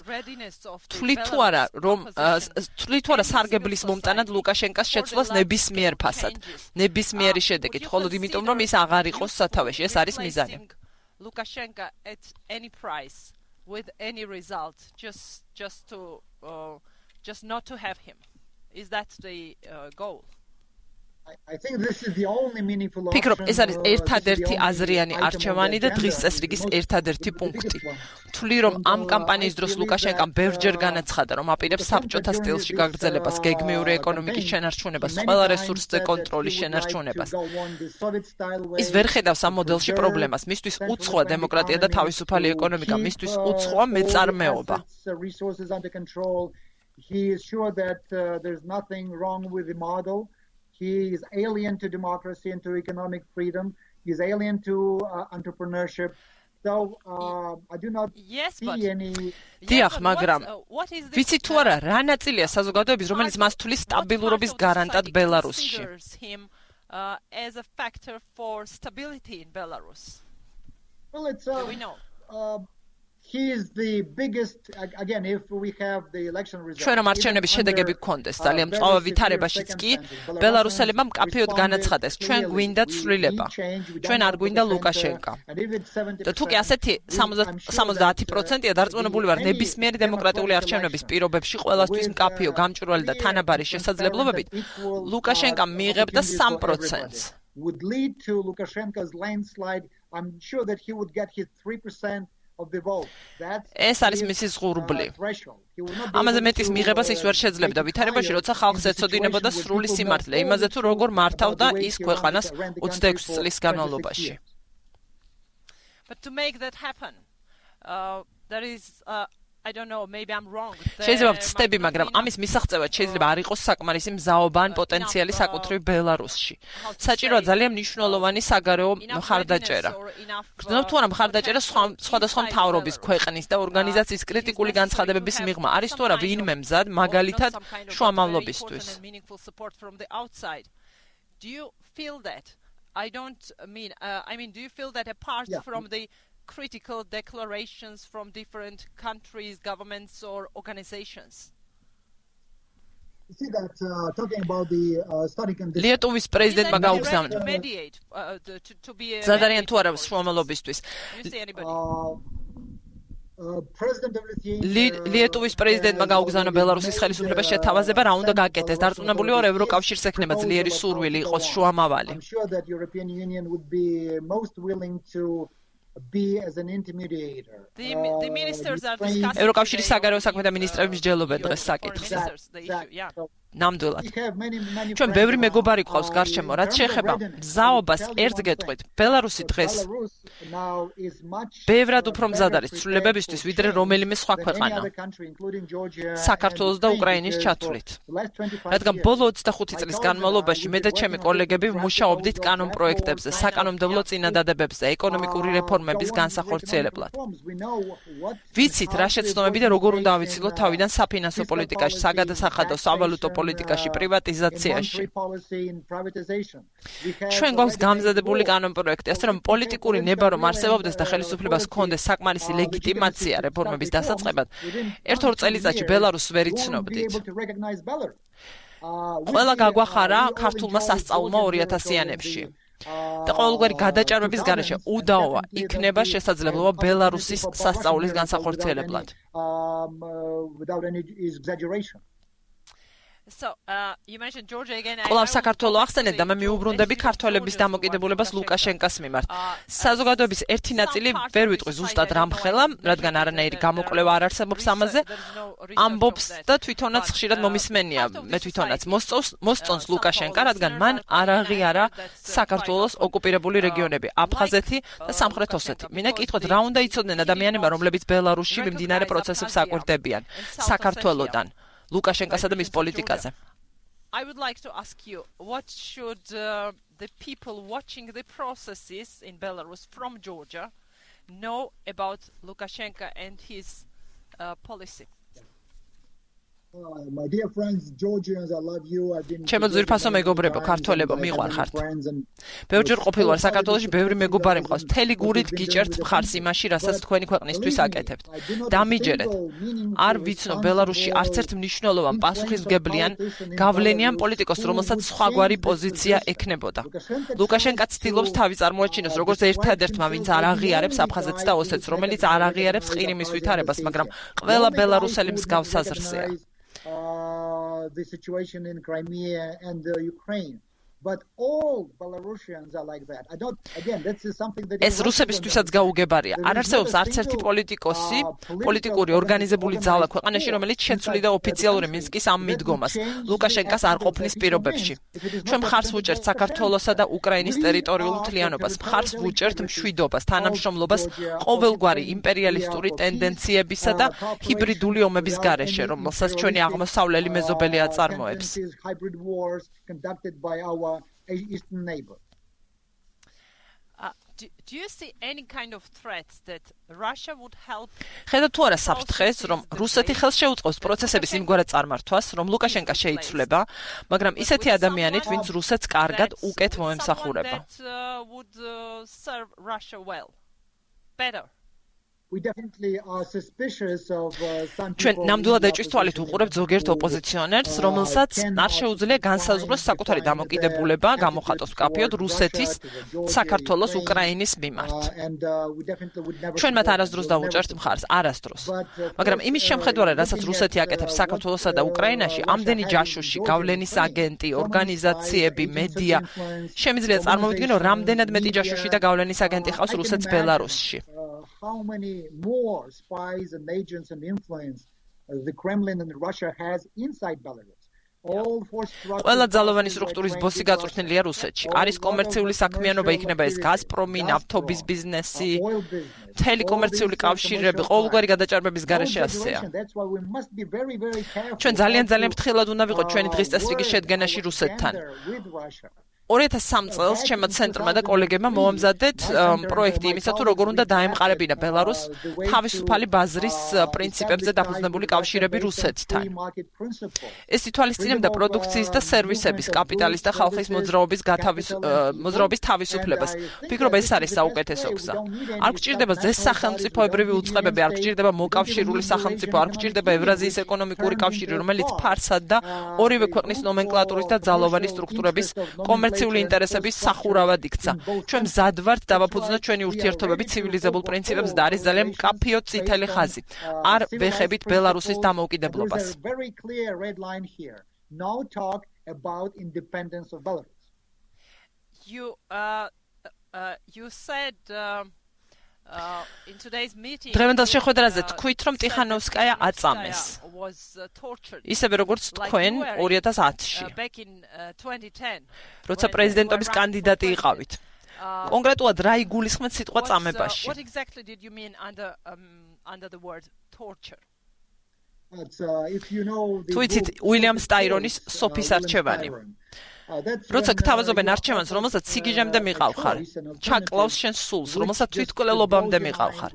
თვლით თუ არა სარგებლის მომტანად ლუკაშენკას შეცვლას ნებისმიერ ფასად, ნებისმიერი შედეგით, მხოლოდ იმიტომ რომ ის აღარ იყოს სათავეში, ეს არის მიზანი. Lukashenko at any price with any result just not to have him. Is that the goal? I think this is the only meaningful option. ფიქრობ, ეს არის ერთადერთი აზრიანი არჩევანი და დღის წესრიგის ერთადერთი პუნქტი. თვლი რომ ამ კამპანიის დროს ლუკაშენკამ ბევრჯერ განაცხადა, რომ აპირებს საბჭოთა სტილში გაგრძელებას, გეგმიური ეკონომიკის შენარჩუნებას, ყველა რესურსზე კონტროლის შენარჩუნებას. ის ვერ ხედავს ამ მოდელში პრობლემას. მისთვის უცხოა დემოკრატია და თავისუფალი ეკონომიკა, მისთვის უცხოა მეწარმეობა. He is sure that there's nothing wrong with the model. He is alien to democracy and to economic freedom. He is alien to entrepreneurship. So I do not see any. დიახ, მაგრამ ვიცი თუ არა, რა ნაწილია საზოგადოების, რომელიც მას თulis სტაბილურობის გარანტად ბელარუსში? As a factor for stability in Belarus. Well, it's he is the biggest again if we have the election results. ჩვენ რომ არჩევნების შედეგები გქონდეს, ძალიან მწვავე ვითარებაშიც კი ბელარუსელებმა მკაფიოდ განაცხადეს, ჩვენ გვინდა ცვლილება. ჩვენ არ გვინდა ლუკაშენკა. და თუ კი ასეთი 70%-ია დარწმუნებული ვარ ნებისმიერი დემოკრატიული არჩევნების პირობებში ყველასთვის მკაფიო, გამჭვირვალე და თანაბარი შესაძლებლობებით, ლუკაშენკამ მიიღებდა 3%-ს. Would lead to Lukashenko's landslide. I'm sure that he would get his 3% of the vote. ეს არის მისი ზღურბლი. ამაზე მეტის მიღებას ის ვერ შეძლებდა ვითარებაში, როცა ხალხს ეცოდინებოდა სრული სიმართლე, იმაზე თუ როგორ მართავდა ის ქვეყანას 26 წლის განმავლობაში. But to make that happen, there is I don't know, maybe I'm wrong. შეიძლება ვწდები, მაგრამ ამის მისაღწევად შეიძლება არ იყოს საკმარისი მზაობა ან პოტენციალი საკუთრივ ბელარუსში. საჭიროა ძალიან მნიშვნელოვანი საგარეო მხარდაჭერა. გრძნობ თუ არა მხარდაჭერა სხვადასხვა მთავრობის, ქვეყნის და ორგანიზაციის კრიტიკული განცხადებების მიღმა არის თუ არა ვინმე მზად, მაგალითად შუამავლობისთვის. Do you feel that? I mean do you feel that apart from the critical declarations from different countries, governments or organizations? You see that talking about the starting in this Lietuvis prezidentმა გაუგზავნა. ზადარიან თუ არა შუამავლობისთვის. Lietuvis prezidentმა გაუგზავნა ბელარუსის ხელისუფლებას შეთავაზება რა უნდა გაკეთდეს. დარწმუნებული ვარ ევროკავშირს ექნება ძლიერი სურვილი იყოს შუამავალი. I'm sure that European Union would be most willing to be as an intermediator. The ministers are discussing ევროკავშირის საგარეო საქმეთა მინისტრები მსჯელობენ დღეს საკითხს. ნამდვილად. ჩვენ ბევრი მეგობარი გვყავს გარშემო, რაც შეეხება მზაობას ერთ გეტყვით. ბელარუსი დღეს ბევრად უფრო მზად არის ცვლილებებისთვის, ვიდრე რომელიმე სხვა ქვეყანა. საქართველოს და უკრაინის ჩათვლით. რადგან ბოლო 25 წლის განმავლობაში მე და ჩემი კოლეგები მუშაობდით კანონ პროექტებზე, საკანონმდებლო წინადადებებზე, ეკონომიკური რეფორმების განსახორციელებლად. ვიცით რა შეცდომები და როგორ უნდა ავიცილოთ თავიდან საფინანსო პოლიტიკაში, საგადასახადო, სავალუტო პოლიტიკაში, პრივატიზაციაში. ჩვენ გვაქვს გამზადებული კანონპროექტი, ასე რომ პოლიტიკური ნება რომ არსებობდეს და ხელისუფლებას ჰქონდეს საკმარისი ლეგიტიმაცია რეფორმების დასაწყებად, ერთ-ორ წელიწადში ბელარუსს ვერ იცნობდით. ყველა გაგვახარა ქართულმა სასწავლმა 2000-იანებში. და ყოველგვარი გადაჭარბების გარეშე უდაოა იქნება შესაძლებლობა ბელარუსის სასწავლის განსახორციელებლად. So, you mentioned Georgia again. კვლავ საქართველოს ახსენეთ და მე მიუბრუნდები ქართველების დამოკიდებულებას ლუკაშენკას მიმართ. საზოგადოების ერთი ნაწილი ვერ ვიტყვი ზუსტად რამხელა, რადგან არანაირი გამოკვლევა არ არსებობს ამაზე. ამბობს და თვითონაც ხშირად მომისმენია, მე თვითონაც მოსწონს ლუკაშენკა, რადგან მან არ აღიარა საქართველოს ოკუპირებული რეგიონები, აფხაზეთი და სამხრეთ ოსეთი. მინდა კითხოთ, რა უნდა იცოდნენ ადამიანებმა, რომლებიც ბელარუსში მიმდინარე პროცესებს აკვირდებიან საქართველოსთან. ლუკაშენკასა და მის პოლიტიკაზე. I would like to ask you, what should the people watching the processes in Belarus from Georgia know about Lukashenko and his policy? My dear friends, Georgians, I love you. I've been ჩემო ძვირფასო მეგობრებო, ქართველებო, მიყვარხართ. ბევრჯერ ყოფილვარ საქართველოში, ბევრი მეგობარი მყავს. მთელი გურით გიჭერთ მხარს იმაში, რასაც თქვენი ქვეყნისთვის აკეთებთ. დამიჯერეთ. არ ვიცნო ბელარუსში არც ერთ მნიშვნელოვან პასუხისმგებლიან გავლენიან პოლიტიკოს, რომელსაც სხვაგვარი პოზიცია ექნებოდა. ლუკაშენკა ცდილობს თავი წარმოაჩინოს როგორც ერთადერთმა, ვინც არ აღიარებს აფხაზეთს და ოსეთს, რომელიც არ აღიარებს ყირიმის ვითარებას, მაგრამ ყველა ბელარუსელი მსგავს აზრზეა. The situation in Crimea and Ukraine. But all Belarusians are like that. I don't. Again, that's something that. ეს რუსებისთვისაც გაუგებარია. არ არსებობს არც ერთი პოლიტიკოსი, პოლიტიკური ორგანიზებული ძალა ქვეყანაში, რომელიც შეცვლიდა ოფიციალური მინსკის ამ მიდგომას. ლუკაშენკას არ ყოფნის პირობებში. ჩვენ მხარს ვუჭერთ საქართველოსა და უკრაინის ტერიტორიულ მთლიანობას, მხარს ვუჭერთ მშვიდობას, თანამშრომლობას ყოველგვარი იმპერიალისტური ტენდენციებისა და ჰიბრიდული ომების გარეშე, რომელსაც ჩვენი აღმოსავლელი მეზობელი აწარმოებს. Conducted by our eastern neighbor. Do you see any kind of threat that Russia would help? ხედავთ თუ არა საფრთხეს, რომ რუსეთი ხელს შეუწყობს პროცესების იმგვარად წარმართვას, რომ ლუკაშენკა შეიცვლება, მაგრამ ისეთი ადამიანით, ვინც რუსეთს კარგად უკეთ მოემსახურება. Would serve Russia well. Better. We definitely are suspicious of some people. ჩვენ ნამდვილად ეჭვის თვალით უყურებთ ზოგიერთ ოპოზიციონერს, რომელსაც არ შეუძლია განსაზღვროს საკუთარი დამოკიდებულება, გამოხატოს მკაფიოდ რუსეთის, საქართველოს, უკრაინის მიმართ. ჩვენ მათ არასდროს დავუჭერთ მხარს, არასდროს. მაგრამ იმის შემხედარად, რასაც რუსეთი აკეთებს საქართველოსა და უკრაინაში, ამდენი ჯაშუში, გავლენის აგენტი, ორგანიზაციები, მედია, შემიძლია წარმოვიდგინო, რამდენად მეტი ჯაშუში და გავლენის აგენტი ყავს რუსეთს ბელარუსში. How many more spies and agents and influence the Kremlin and Russia has inside Belarus? ყველა ძალოვანი სტრუქტურის ბოსი გაწვრთნილია რუსეთში. არის კომერციული საქმიანობა, იქნება ეს გაზპრომი, ნავთობის ბიზნესი, მთელი კომერციული კავშირები, ყოველგვარი გადაჭარბების გარეშე ასეა. ჩვენ ძალიან ფრთხილად უნდა ვიყოთ ჩვენი დღის წესრიგის შედგენაში რუსეთთან. 2003 წელს ჩემმა ცენტრმა და კოლეგებმა მოამზადეთ პროექტი იმისა თუ როგორ უნდა დაემყარებინა ბელარუსს თავისუფალი ბაზრის პრინციპებზე დაფუძნებული კავშირები რუსეთთან. ეს ითვალისწინებდა პროდუქციის და სერვისების, კაპიტალის და ხალხის მოძრაობის თავისუფლებას. ვფიქრობ, ეს არის საუკეთესო გზა. არ გვჭირდება ზეს სახელმწიფოებრივი უწყებები, არ გვჭირდება მოკავშირული სახელმწიფო, არ გვჭირდება ევრაზიის ეკონომიკური კავშირი, რომელიც ფარსად და ორივე ქვეყნის ნომენკლატურის და ძალოვანი სტრუქტურების კომერციული ინტერესების სახურავად იქცა. ჩვენ მზად ვართ დავაფუძნოთ ჩვენი ურთიერთობები ცივილიზებულ პრინციპებზე და არის ძალიან მკაფიო წითელი ხაზი. არ ვეხებით ბელარუსის დამოუკიდებლობას. You said in today's meeting დღევანდელ შეხვედრაზე თქვით, რომ ტიხანოვსკაია აწამეს. ისევე როგორც თქვენ 2010-ში. როცა პრეზიდენტობის კანდიდატი იყავით. კონკრეტულად რა იგულისხმეთ სიტყვა წამებაში? What exactly did you mean under the word torture? თუ იცით უილიამ სტაირონის სოფის არჩევანი. როცა გთავაზობენ არჩევანს, რომელსაც სიგიჟემდე მიყავხარ, ჩაკლავს შენ სულს, რომელსაც თვითკვლელობამდე მიყავხარ.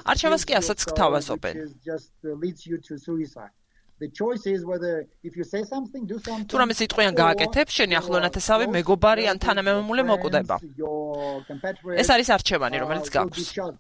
არჩევანს კი ასაც გთავაზობენ. თუ რამე სიტყვიან გააკეთებ, შენი ახლონათესავი მეგობარი ან თანამემამულე მოკვდება. ეს არის არჩევანი, რომელიც გაქვს.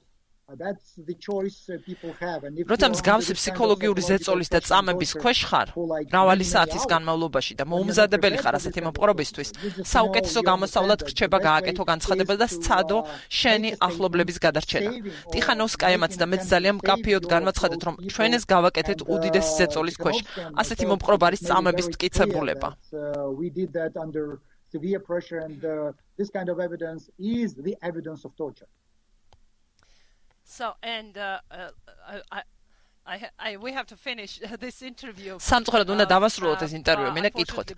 როცა მსგავსი ფსიქოლოგიური ზეწოლის და წამების ქვეშ ხარ, მრავალი საათის განმავლობაში და მოუმზადებელი ხარ ასეთი მოპყრობისთვის, საუკეთესო გამოსავლად გრჩება გააკეთო განცხადება და სცადო შენი ახლობლების გადარჩენა. ტიხანოვსკაიამაც და მეც ძალიან მკაფიოდ განვაცხადეთ, რომ ჩვენ ეს გავაკეთეთ უდიდესი ზეწოლის ქვეშ. ასეთი მოპყრობა არის წამების მტკიცებულება. So and we have to finish this interview. სამწუხაროდ უნდა დავასრულოთ ეს ინტერვიუ. მინდა გითხოთ,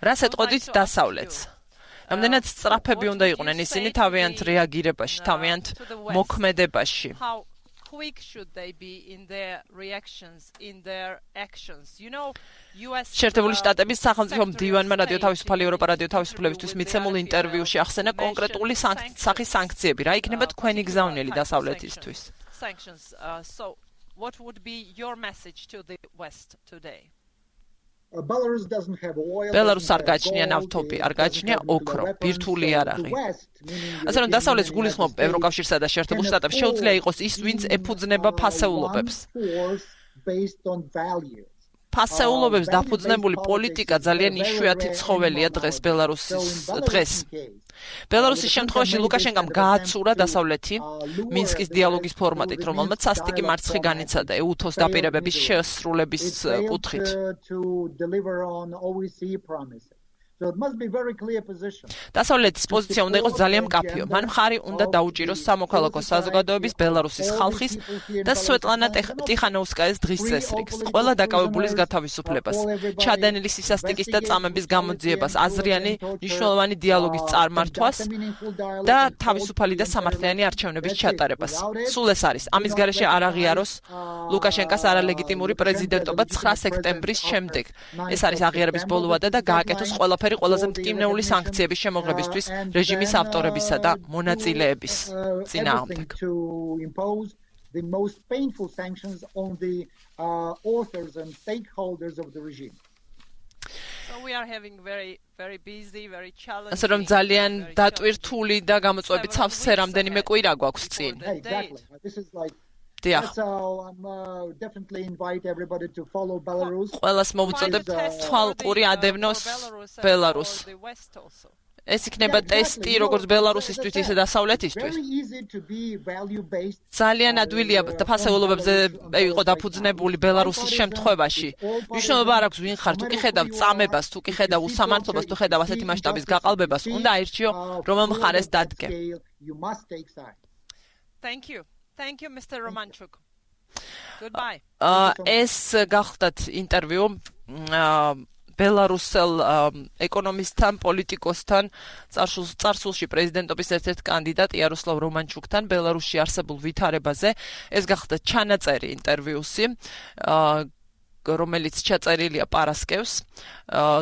რას ეტყოდით დასავლეთს? რამდენად სწრაფები უნდა იყვნენ ისინი თავიანთ რეაგირებაში, თავიანთ მოქმედებაში? How quick should they be in their reactions, in their actions? You know, US შეერთებული შტატების სახელმწიფო მდივანმა რადიო თავისუფალი ევროპა რადიო თავისუფლებისთვის მიცემულ ინტერვიუში ახსენა კონკრეტული სახის სანქციები. რა იქნება თქვენი გზავნილი დასავლეთისთვის? Sanctions. So what would be your message to the West today? ბელარუსს არ გააჩნია ნავთობი, არ გააჩნია ოქრო, ბირთვული იარაღი. ასე რომ დასავლეთს გულისხმობ ევროკავშირსა და შეერთებულ შტატებს შეუძლია იყოს ის, ვინც ეფუძნება ფასეულობებს. ფასეულობებს დაფუძნებული პოლიტიკა ძალიან იშვიათი ცხოველია დღეს. ბელარუსის შემთხვევაში ლუკაშენკამ გააცურა დასავლეთი მინსკის დიალოგის ფორმატით, რომელმაც სასტიკი მარცხი განიცადა ეუთოს დაპირებების შესრულების კუთხით. დასავლეთის პოზიცია უნდა იყოს ძალიან მკაფიო. მან მხარი უნდა დაუჭიროს სამოქალაქო საზოგადოების, ბელარუსის ხალხის და სვეტლანა ტიხანოვსკაიას დღის წესრიგს, ყველა დაკავებულის გათავისუფლებას, ჩადენილი სისასტიკის და წამების გამოძიებას, აზრიანი მნიშვნელოვანი დიალოგის წარმართვას და თავისუფალი და სამართლიანი არჩევნების ჩატარებას. სულ ეს არის. ამის გარეშე არ აღიაროს ლუკაშენკას არალეგიტიმური პრეზიდენტობა 9 სექტემბრის შემდეგ. ეს არის აღიარების ბოლო ვადა და გააკეთოს ყველაფერი ყველაზე მტკივნეული სანქციების შემოღებისთვის რეჟიმის ავტორებისა და მონაწილეების წინააღმდეგ. The most painful sanctions on the authors and stakeholders of the regime. So we are having very busy, very challenging. ასე რომ ძალიან დატვირთული და გამოწვევებით სავსე რამდენიმე კვირა გვაქვს წინ. Exactly. This is like დიახ. So I'm definitely invite everybody to follow Belarus. ყველას მოვუწოდებთ თვალყური ადევნოს ბელარუსს. ეს იქნება ტესტი როგორც ბელარუსისთვის, ისე დასავლეთისთვის. ძალიან ადვილია და ფასეულობებზე იყო დაფუძნებული ბელარუსის შემთხვევაში. მნიშვნელობა არ აქვს ვინ ხარ, თუ კი ხედავ წამებას, თუ კი ხედავ უსამართლობას, თუ ხედავ ასეთი მასშტაბის გაყალბებას, უნდა აირჩიო რომელ მხარეს დადგე. Thank you, Mr. Romanchuk. Goodbye. ეს გახდათ ინტერვიუ ბელარუსელ ეკონომისტთან, პოლიტიკოსთან, წარსულში პრეზიდენტობის ერთ-ერთ კანდიდატ იაროსლავ რომანჩუკთან ბელარუსში არსებულ ვითარებაზე. ეს გახდა ჩანაწერი ინტერვიუსი. რომელიც ჩაწერილია პარასკევს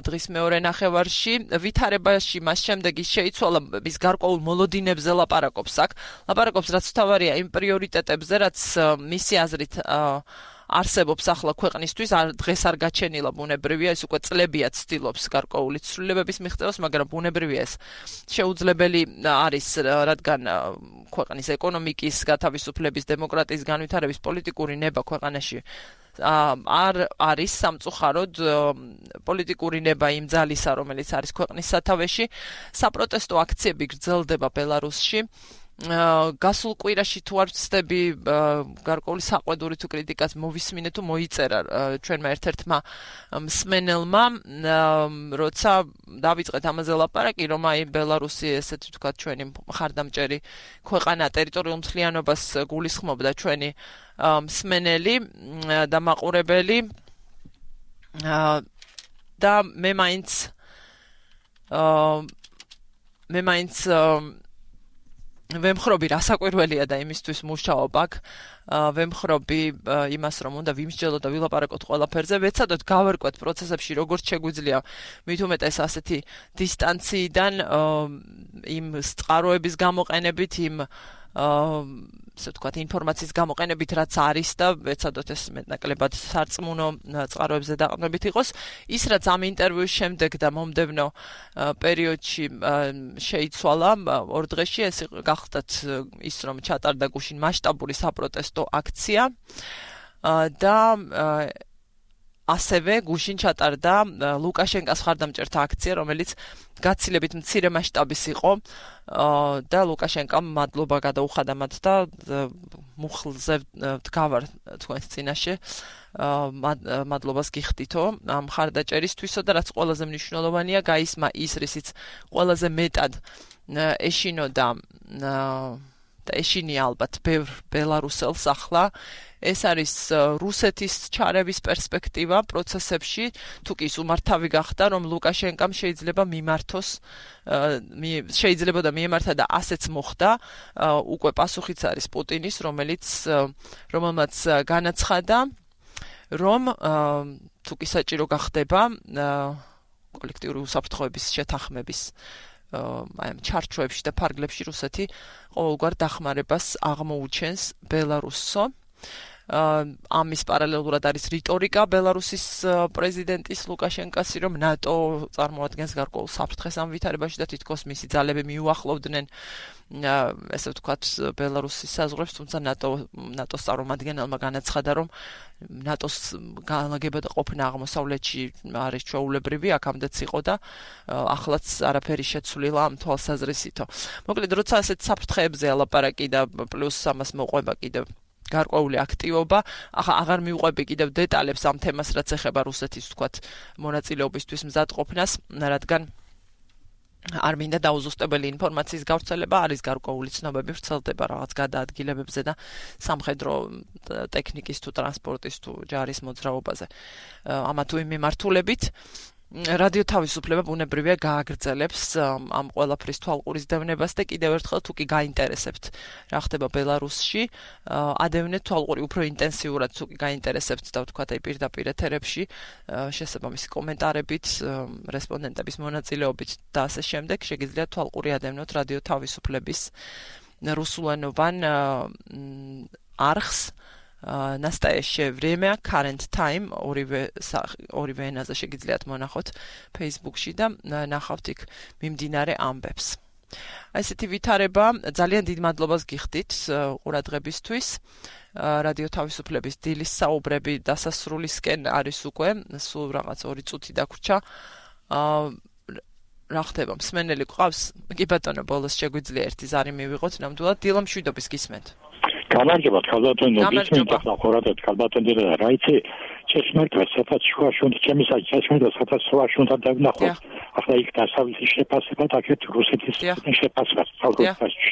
დღის მეორე ნახევარში ვითარებაში მას შემდეგ ის შეიცვალა ის გარკვეულ მოლოდინებზე ლაპარაკობს რაც თავარია იმ პრიორიტეტებზე რაც მისი აზრით არსებობს ახლა ქვეყნისთვის დღეს არ გაჩენილა ბუნებრივია ეს უკვე წლებია ცდილობს გარკვეული ცვლილებების მიღწევას მაგრამ ბუნებრივია ეს შეუძლებელი არის რადგან ქვეყნის ეკონომიკის გათავისუფლების დემოკრატიის განვითარების პოლიტიკური ნება ქვეყანაში არ არის სამწუხაროდ პოლიტიკური ნება იმ ძალისა რომელიც არის ქვეყნის სათავეში საპროტესტო აქციები გრძელდება ბელარუსში გასულ კვირაში თუ არ ვცდები გარკვეული საყვედური თუ კრიტიკას მოვისმინე თუ მოიწერა ჩვენმა ერთ-ერთმა მსმენელმა როცა დავიწყეთ ამაზე ლაპარაკი რომ აი ბელარუსი ესეთი ვთქვათ ჩვენი მხარდამჭერი ქვეყანა ტერიტორიულ მთლიანობას გულისხმობდა ჩვენი მსმენელი და მაყურებელი და მე მაინც ვემხრობი რასაკვირველია და იმისთვის მუშაობ აქ ვემხრობი იმას რომ უნდა ვიმსჯელოთ და ვილაპარაკოთ ყველაფერზე ვეცადოთ გავერკვეთ პროცესებში როგორც შეგვიძლია მით უმეტეს ასეთი დისტანციიდან იმ წყაროების გამოყენებით იმ ასე ვთქვათ ინფორმაციის გამოყენებით რაც არის და ვეცადოთ ეს მეტნაკლებად სარწმუნო წყაროებზე დაყრდნობით იყოს ის რაც ამ ინტერვიუს შემდეგ და მომდევნო პერიოდში შეიცვალა ორ დღეში ეს გახდათ ის რომ ჩატარდა გუშინ მასშტაბური საპროტესტო აქცია და ასევე გუშინ ჩატარდა ლუკაშენკას მხარდამჭერთა აქცია რომელიც გაცილებით მცირე მასშტაბის იყო და ლუკაშენკამ მადლობა გადაუხადა მათ და მუხლზე დგავარ თქვენს წინაშე მადლობას გიხდითო ამ მხარდაჭერისთვისო და რაც ყველაზე მნიშვნელოვანია გაისმა ის რისიც ყველაზე მეტად ეშინოდა და ეშინია ალბათ ბევრ ბელარუსელს ახლა ეს არის რუსეთის ჩარევის პერსპექტივა პროცესებში თუ კი უმართავი გახდა რომ ლუკაშენკამ შეიძლება მიმართოს შეიძლება და მიემართა და ასეც მოხდა უკვე პასუხიც არის პუტინის რომელმაც განაცხადა რომ თუ კი საჭირო გახდება კოლექტიური უსაფრთხოების შეთანხმების აი ამ ჩარჩოებში და ფარგლებში რუსეთი ყოველგვარ დახმარებას აღმოუჩენს ბელარუსო ამის პარალელურად არის რიტორიკა ბელარუსის პრეზიდენტის ლუკაშენკასი რომ ნატო წარმოადგენს გარკვეულ საფრთხეს ამ ვითარებაში და თითქოს მისი ძალები მიუახლოვდნენ ესე ვთქვათ ბელარუსის საზღვრებს თუმცა ნატოს წარმომადგენელმა განაცხადა რომ ნატოს განლაგება და ყოფნა აღმოსავლეთში არის ჩვეულებრივი აქამდეც იყო და ახლაც არაფერი შეცვლილა ამ თვალსაზრისითო მოკლედ როცა ასეთ საფრთხეებზე ალაპარაკი და პლუს ამას მოყვება კიდევ გარკვეული აქტივობა აღარ მივყვები კიდევ დეტალებს ამ თემას რაც ეხება რუსეთის ვთქვათ მონაწილეობისთვის მზადყოფნას რადგან არ მინდა დაუზუსტებელი ინფორმაციის გავრცელება არის გარკვეული ცნობები ვრცელდება რაღაც გადაადგილებებზე და სამხედრო ტექნიკის თუ ტრანსპორტის თუ ჯარის მოძრაობაზე ამა თუ იმ მიმართულებით რადიო თავისუფლება ბუნებრივია გააგრძელებს ამ ყველაფრის თვალყურისდევნებას და კიდევ ერთხელ თუ კი გაინტერესებთ რა ხდება ბელარუსში ადევნეთ თვალყური უფრო ინტენსიურად თუ კი გაინტერესებთ და ვთქვათ აი პირდაპირ ეთერებში შესაბამისი კომენტარებით რესპონდენტების მონაწილეობით და ასე შემდეგ შეგიძლიათ თვალყური ადევნოთ რადიო თავისუფლების რუსულენოვან არხს Настоящее время, current time, ორივე ენაზე შეგიძლიათ მონახოთ Facebook-ში და ნახავთ იქ მიმდინარე ამბებს. Ესეთი ვითარება ძალიან დიდ მადლობას გიხდით ყურადღებისთვის. რადიო თავისუფლების დილის საუბრები დასასრულისკენ არის უკვე, სულ რაღაც 2 წუთი დაგვრჩა. რა ხდება, მსმენელი გვყავს? კი ბატონო, ბოლოს შეგვიძლია ერთი ზარი მივიღოთ, ნამდვილად დილა მშვიდობის გისმენთ. გამარჯობა, ქალბატონო, გისმენთ ახლა ხორადეთ ქალბატონო და რაიცი ჩესმერტა სადაც შუაშუნთ ჩემისა ჩესმერტა სადაც შუაშუნთა დავნახოთ ახლა იქ დასავლეთის შეფასება და აქეთ რუსეთის შეფასება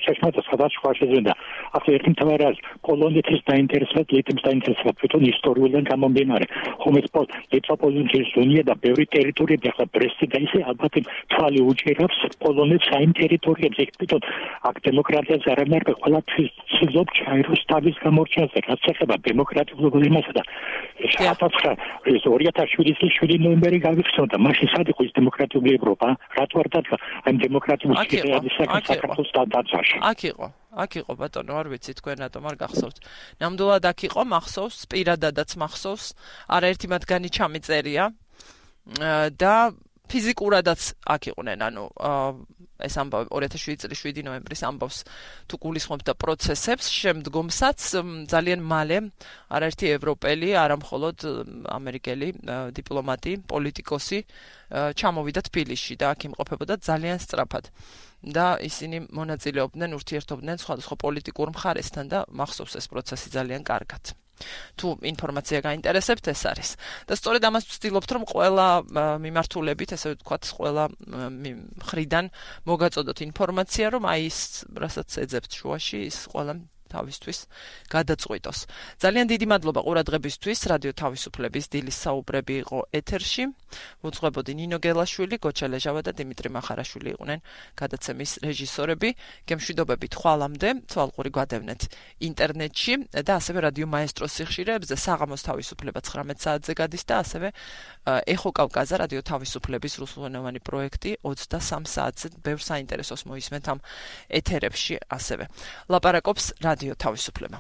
ჩესმერტა სადაც შუაშეზენდა ახლა ერთი მთავარი არის პოლონეთის დაინტერესება ლიტვის დაინტერესება თვითონ ისტორიულიდან გამომდინარე ხომეც ლიტვა-პოლონეთის ზონია და ბევრი ტერიტორიები ახლა ბრესტი და ისე ალბათ თვალი უჭირავს პოლონეთს საიმ ტერიტორიებზე თვითონ აქ დემოკრატიას არ ამერკა ყველაფრის ცდილობ ჩაიროს თავის გამორჩენაზე, რაც ეხება დემოკრატიულ იმასა და 2007 წლის 7 ნოემბერი გავიხსენდა, მაშინ სად იყო ის დემოკრატიული ევროპა, რატო არ დადგა ამ დემოკრატიულ სისტემასთან საქართველოს დაცვაში. აქ იყო ბატონო, არ ვიცი თქვენ რატომ არ გახსოვთ. ნამდვილად აქ იყო, მახსოვს, პირადადაც მახსოვს, არაერთი მათგანი ჩამიწერია და ფიზიკურადაც აქ იყვნენ, ანუ ეს ამბავი 2007 წლის 7 ნოემბრის ამბავს თუ გულისხმობთ და პროცესებს, შემდგომსაც ძალიან მალე არაერთი ევროპელი, არა მხოლოდ ამერიკელი დიპლომატი, პოლიტიკოსი ჩამოვიდა თბილისში და აქ იმყოფებოდა ძალიან სწრაფად. და ისინი მონაწილეობდნენ, ურთიერთობდნენ სხვადასხვა პოლიტიკურ მხარესთან და მახსოვს ეს პროცესი ძალიან კარგად. თუ ინფორმაცია გაინტერესებთ, ეს არის. და სწორედ ამას ვცდილობთ, რომ ყველა მიმართულებით, ესე ვთქვათ, ყველა მხრიდან მოგაწოდოთ ინფორმაცია, რომ აი ის, რასაც ეძებთ შუაში, ის ყველა თავისთვის გადაწყვიტოს. ძალიან დიდი მადლობა ყურადღებისთვის. რადიო თავისუფლების დილის საუბრები იყო ეთერში. უძღვებოდი ნინო გელაშვილი, გოჩა ლეჟავა და დიმიტრი მახარაშვილი იყვნენ გადაცემის რეჟისორები. გემშვიდობებით ხვალამდე, თვალყური გვადევნეთ ინტერნეტში და ასევე რადიო მაესტროს სიხშირეებზე საღამოს თავისუფლება 19 საათზე გადის და ასევე ეხო კავკაზა რადიო თავისუფლების რუსულენოვანი პროექტი 23 საათზე ბევრ საინტერესოს მოისმენთ ამ ეთერებში ასევე. ლაპარაკობს რადიო თავისუფლება.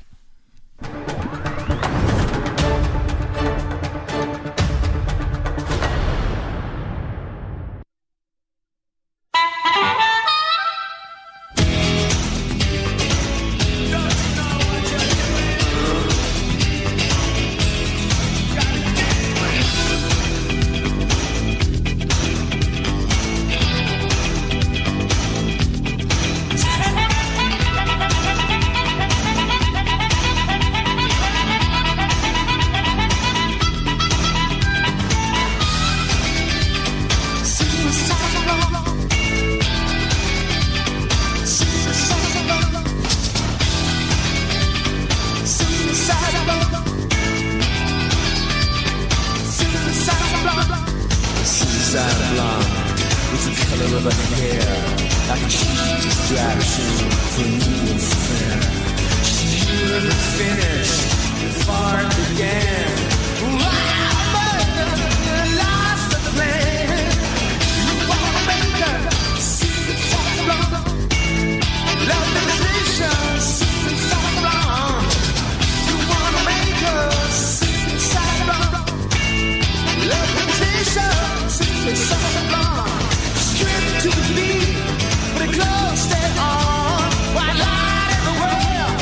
Close it on, white light in the world,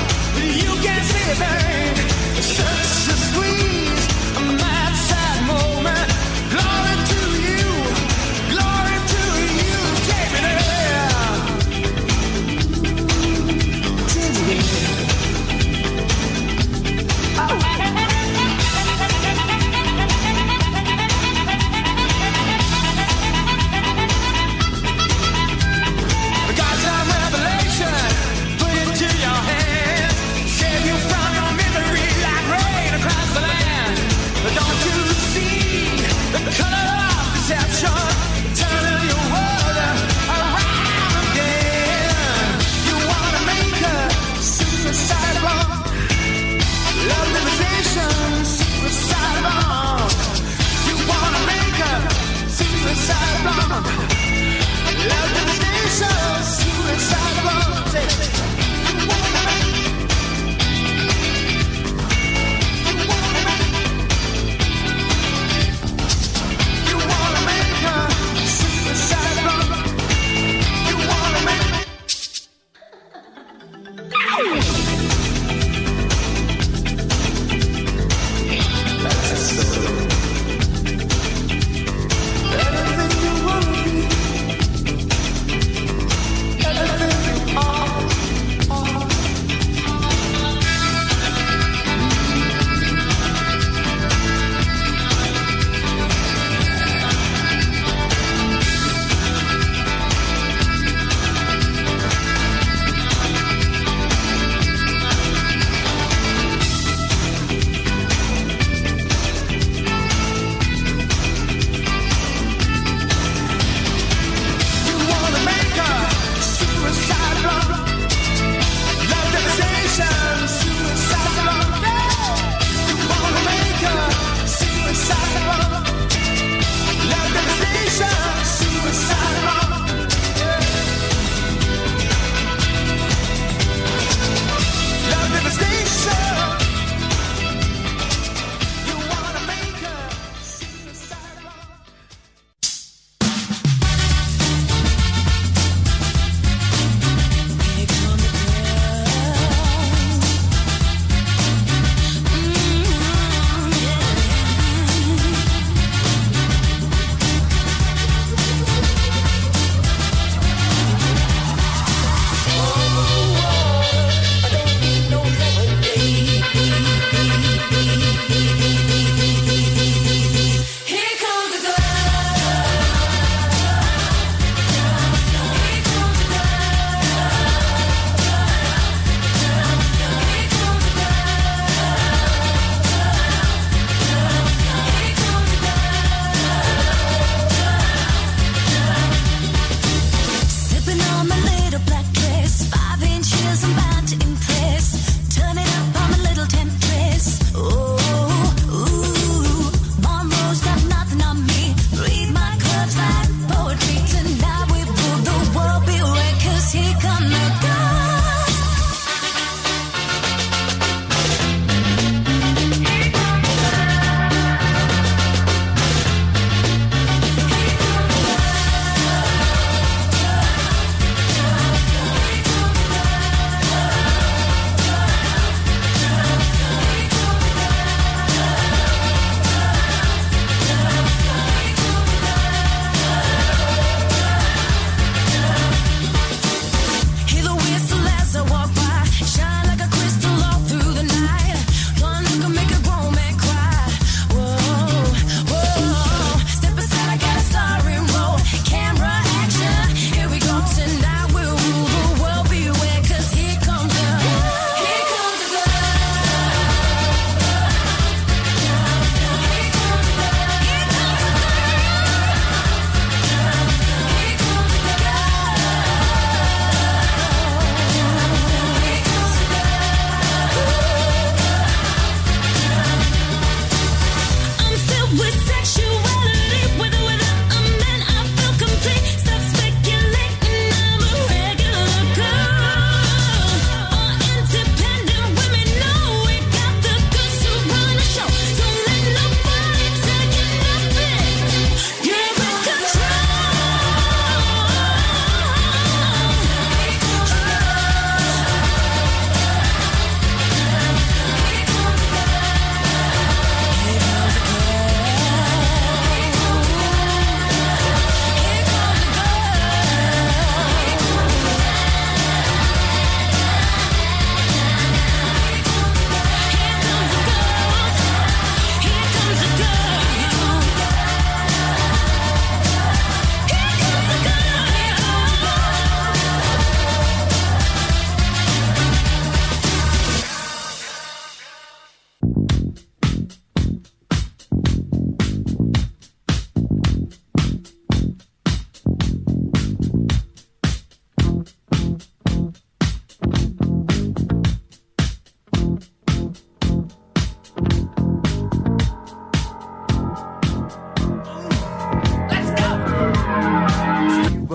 you can see it burn.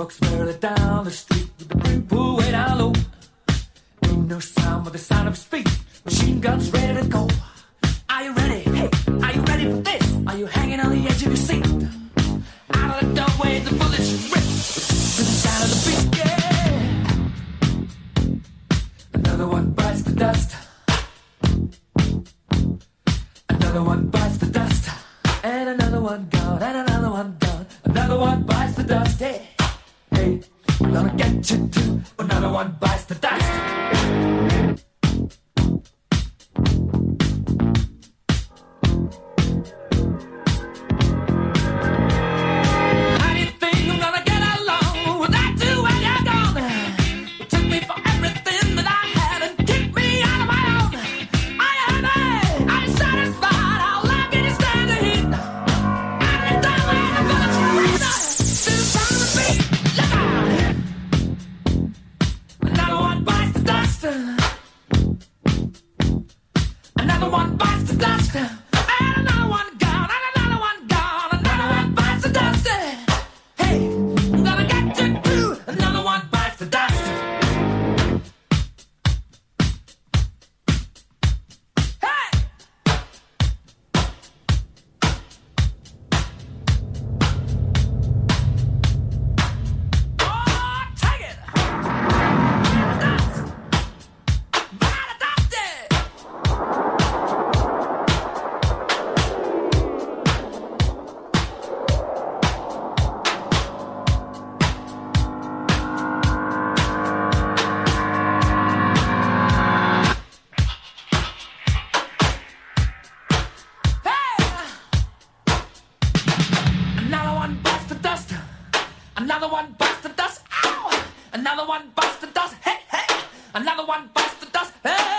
Folks barely down the street with the brim pulled way down low. Ain't no sound but the sound of his feet. Machine guns ready to go. Are you ready? Hey, are you ready for this? Are you hanging on the edge of your seat? Out of the doorway, the bullets rip to the sound of the beat. Yeah. Another one bites the dust. Another one bites the dust. And another one gone. And another one gone. Another one bites the dust. Hey, hey, I'm gonna get you too. Another one bites the dust. Another one bites the dust. Ow! Another one bites the dust. Hey, hey! Another one bites the dust. Hey!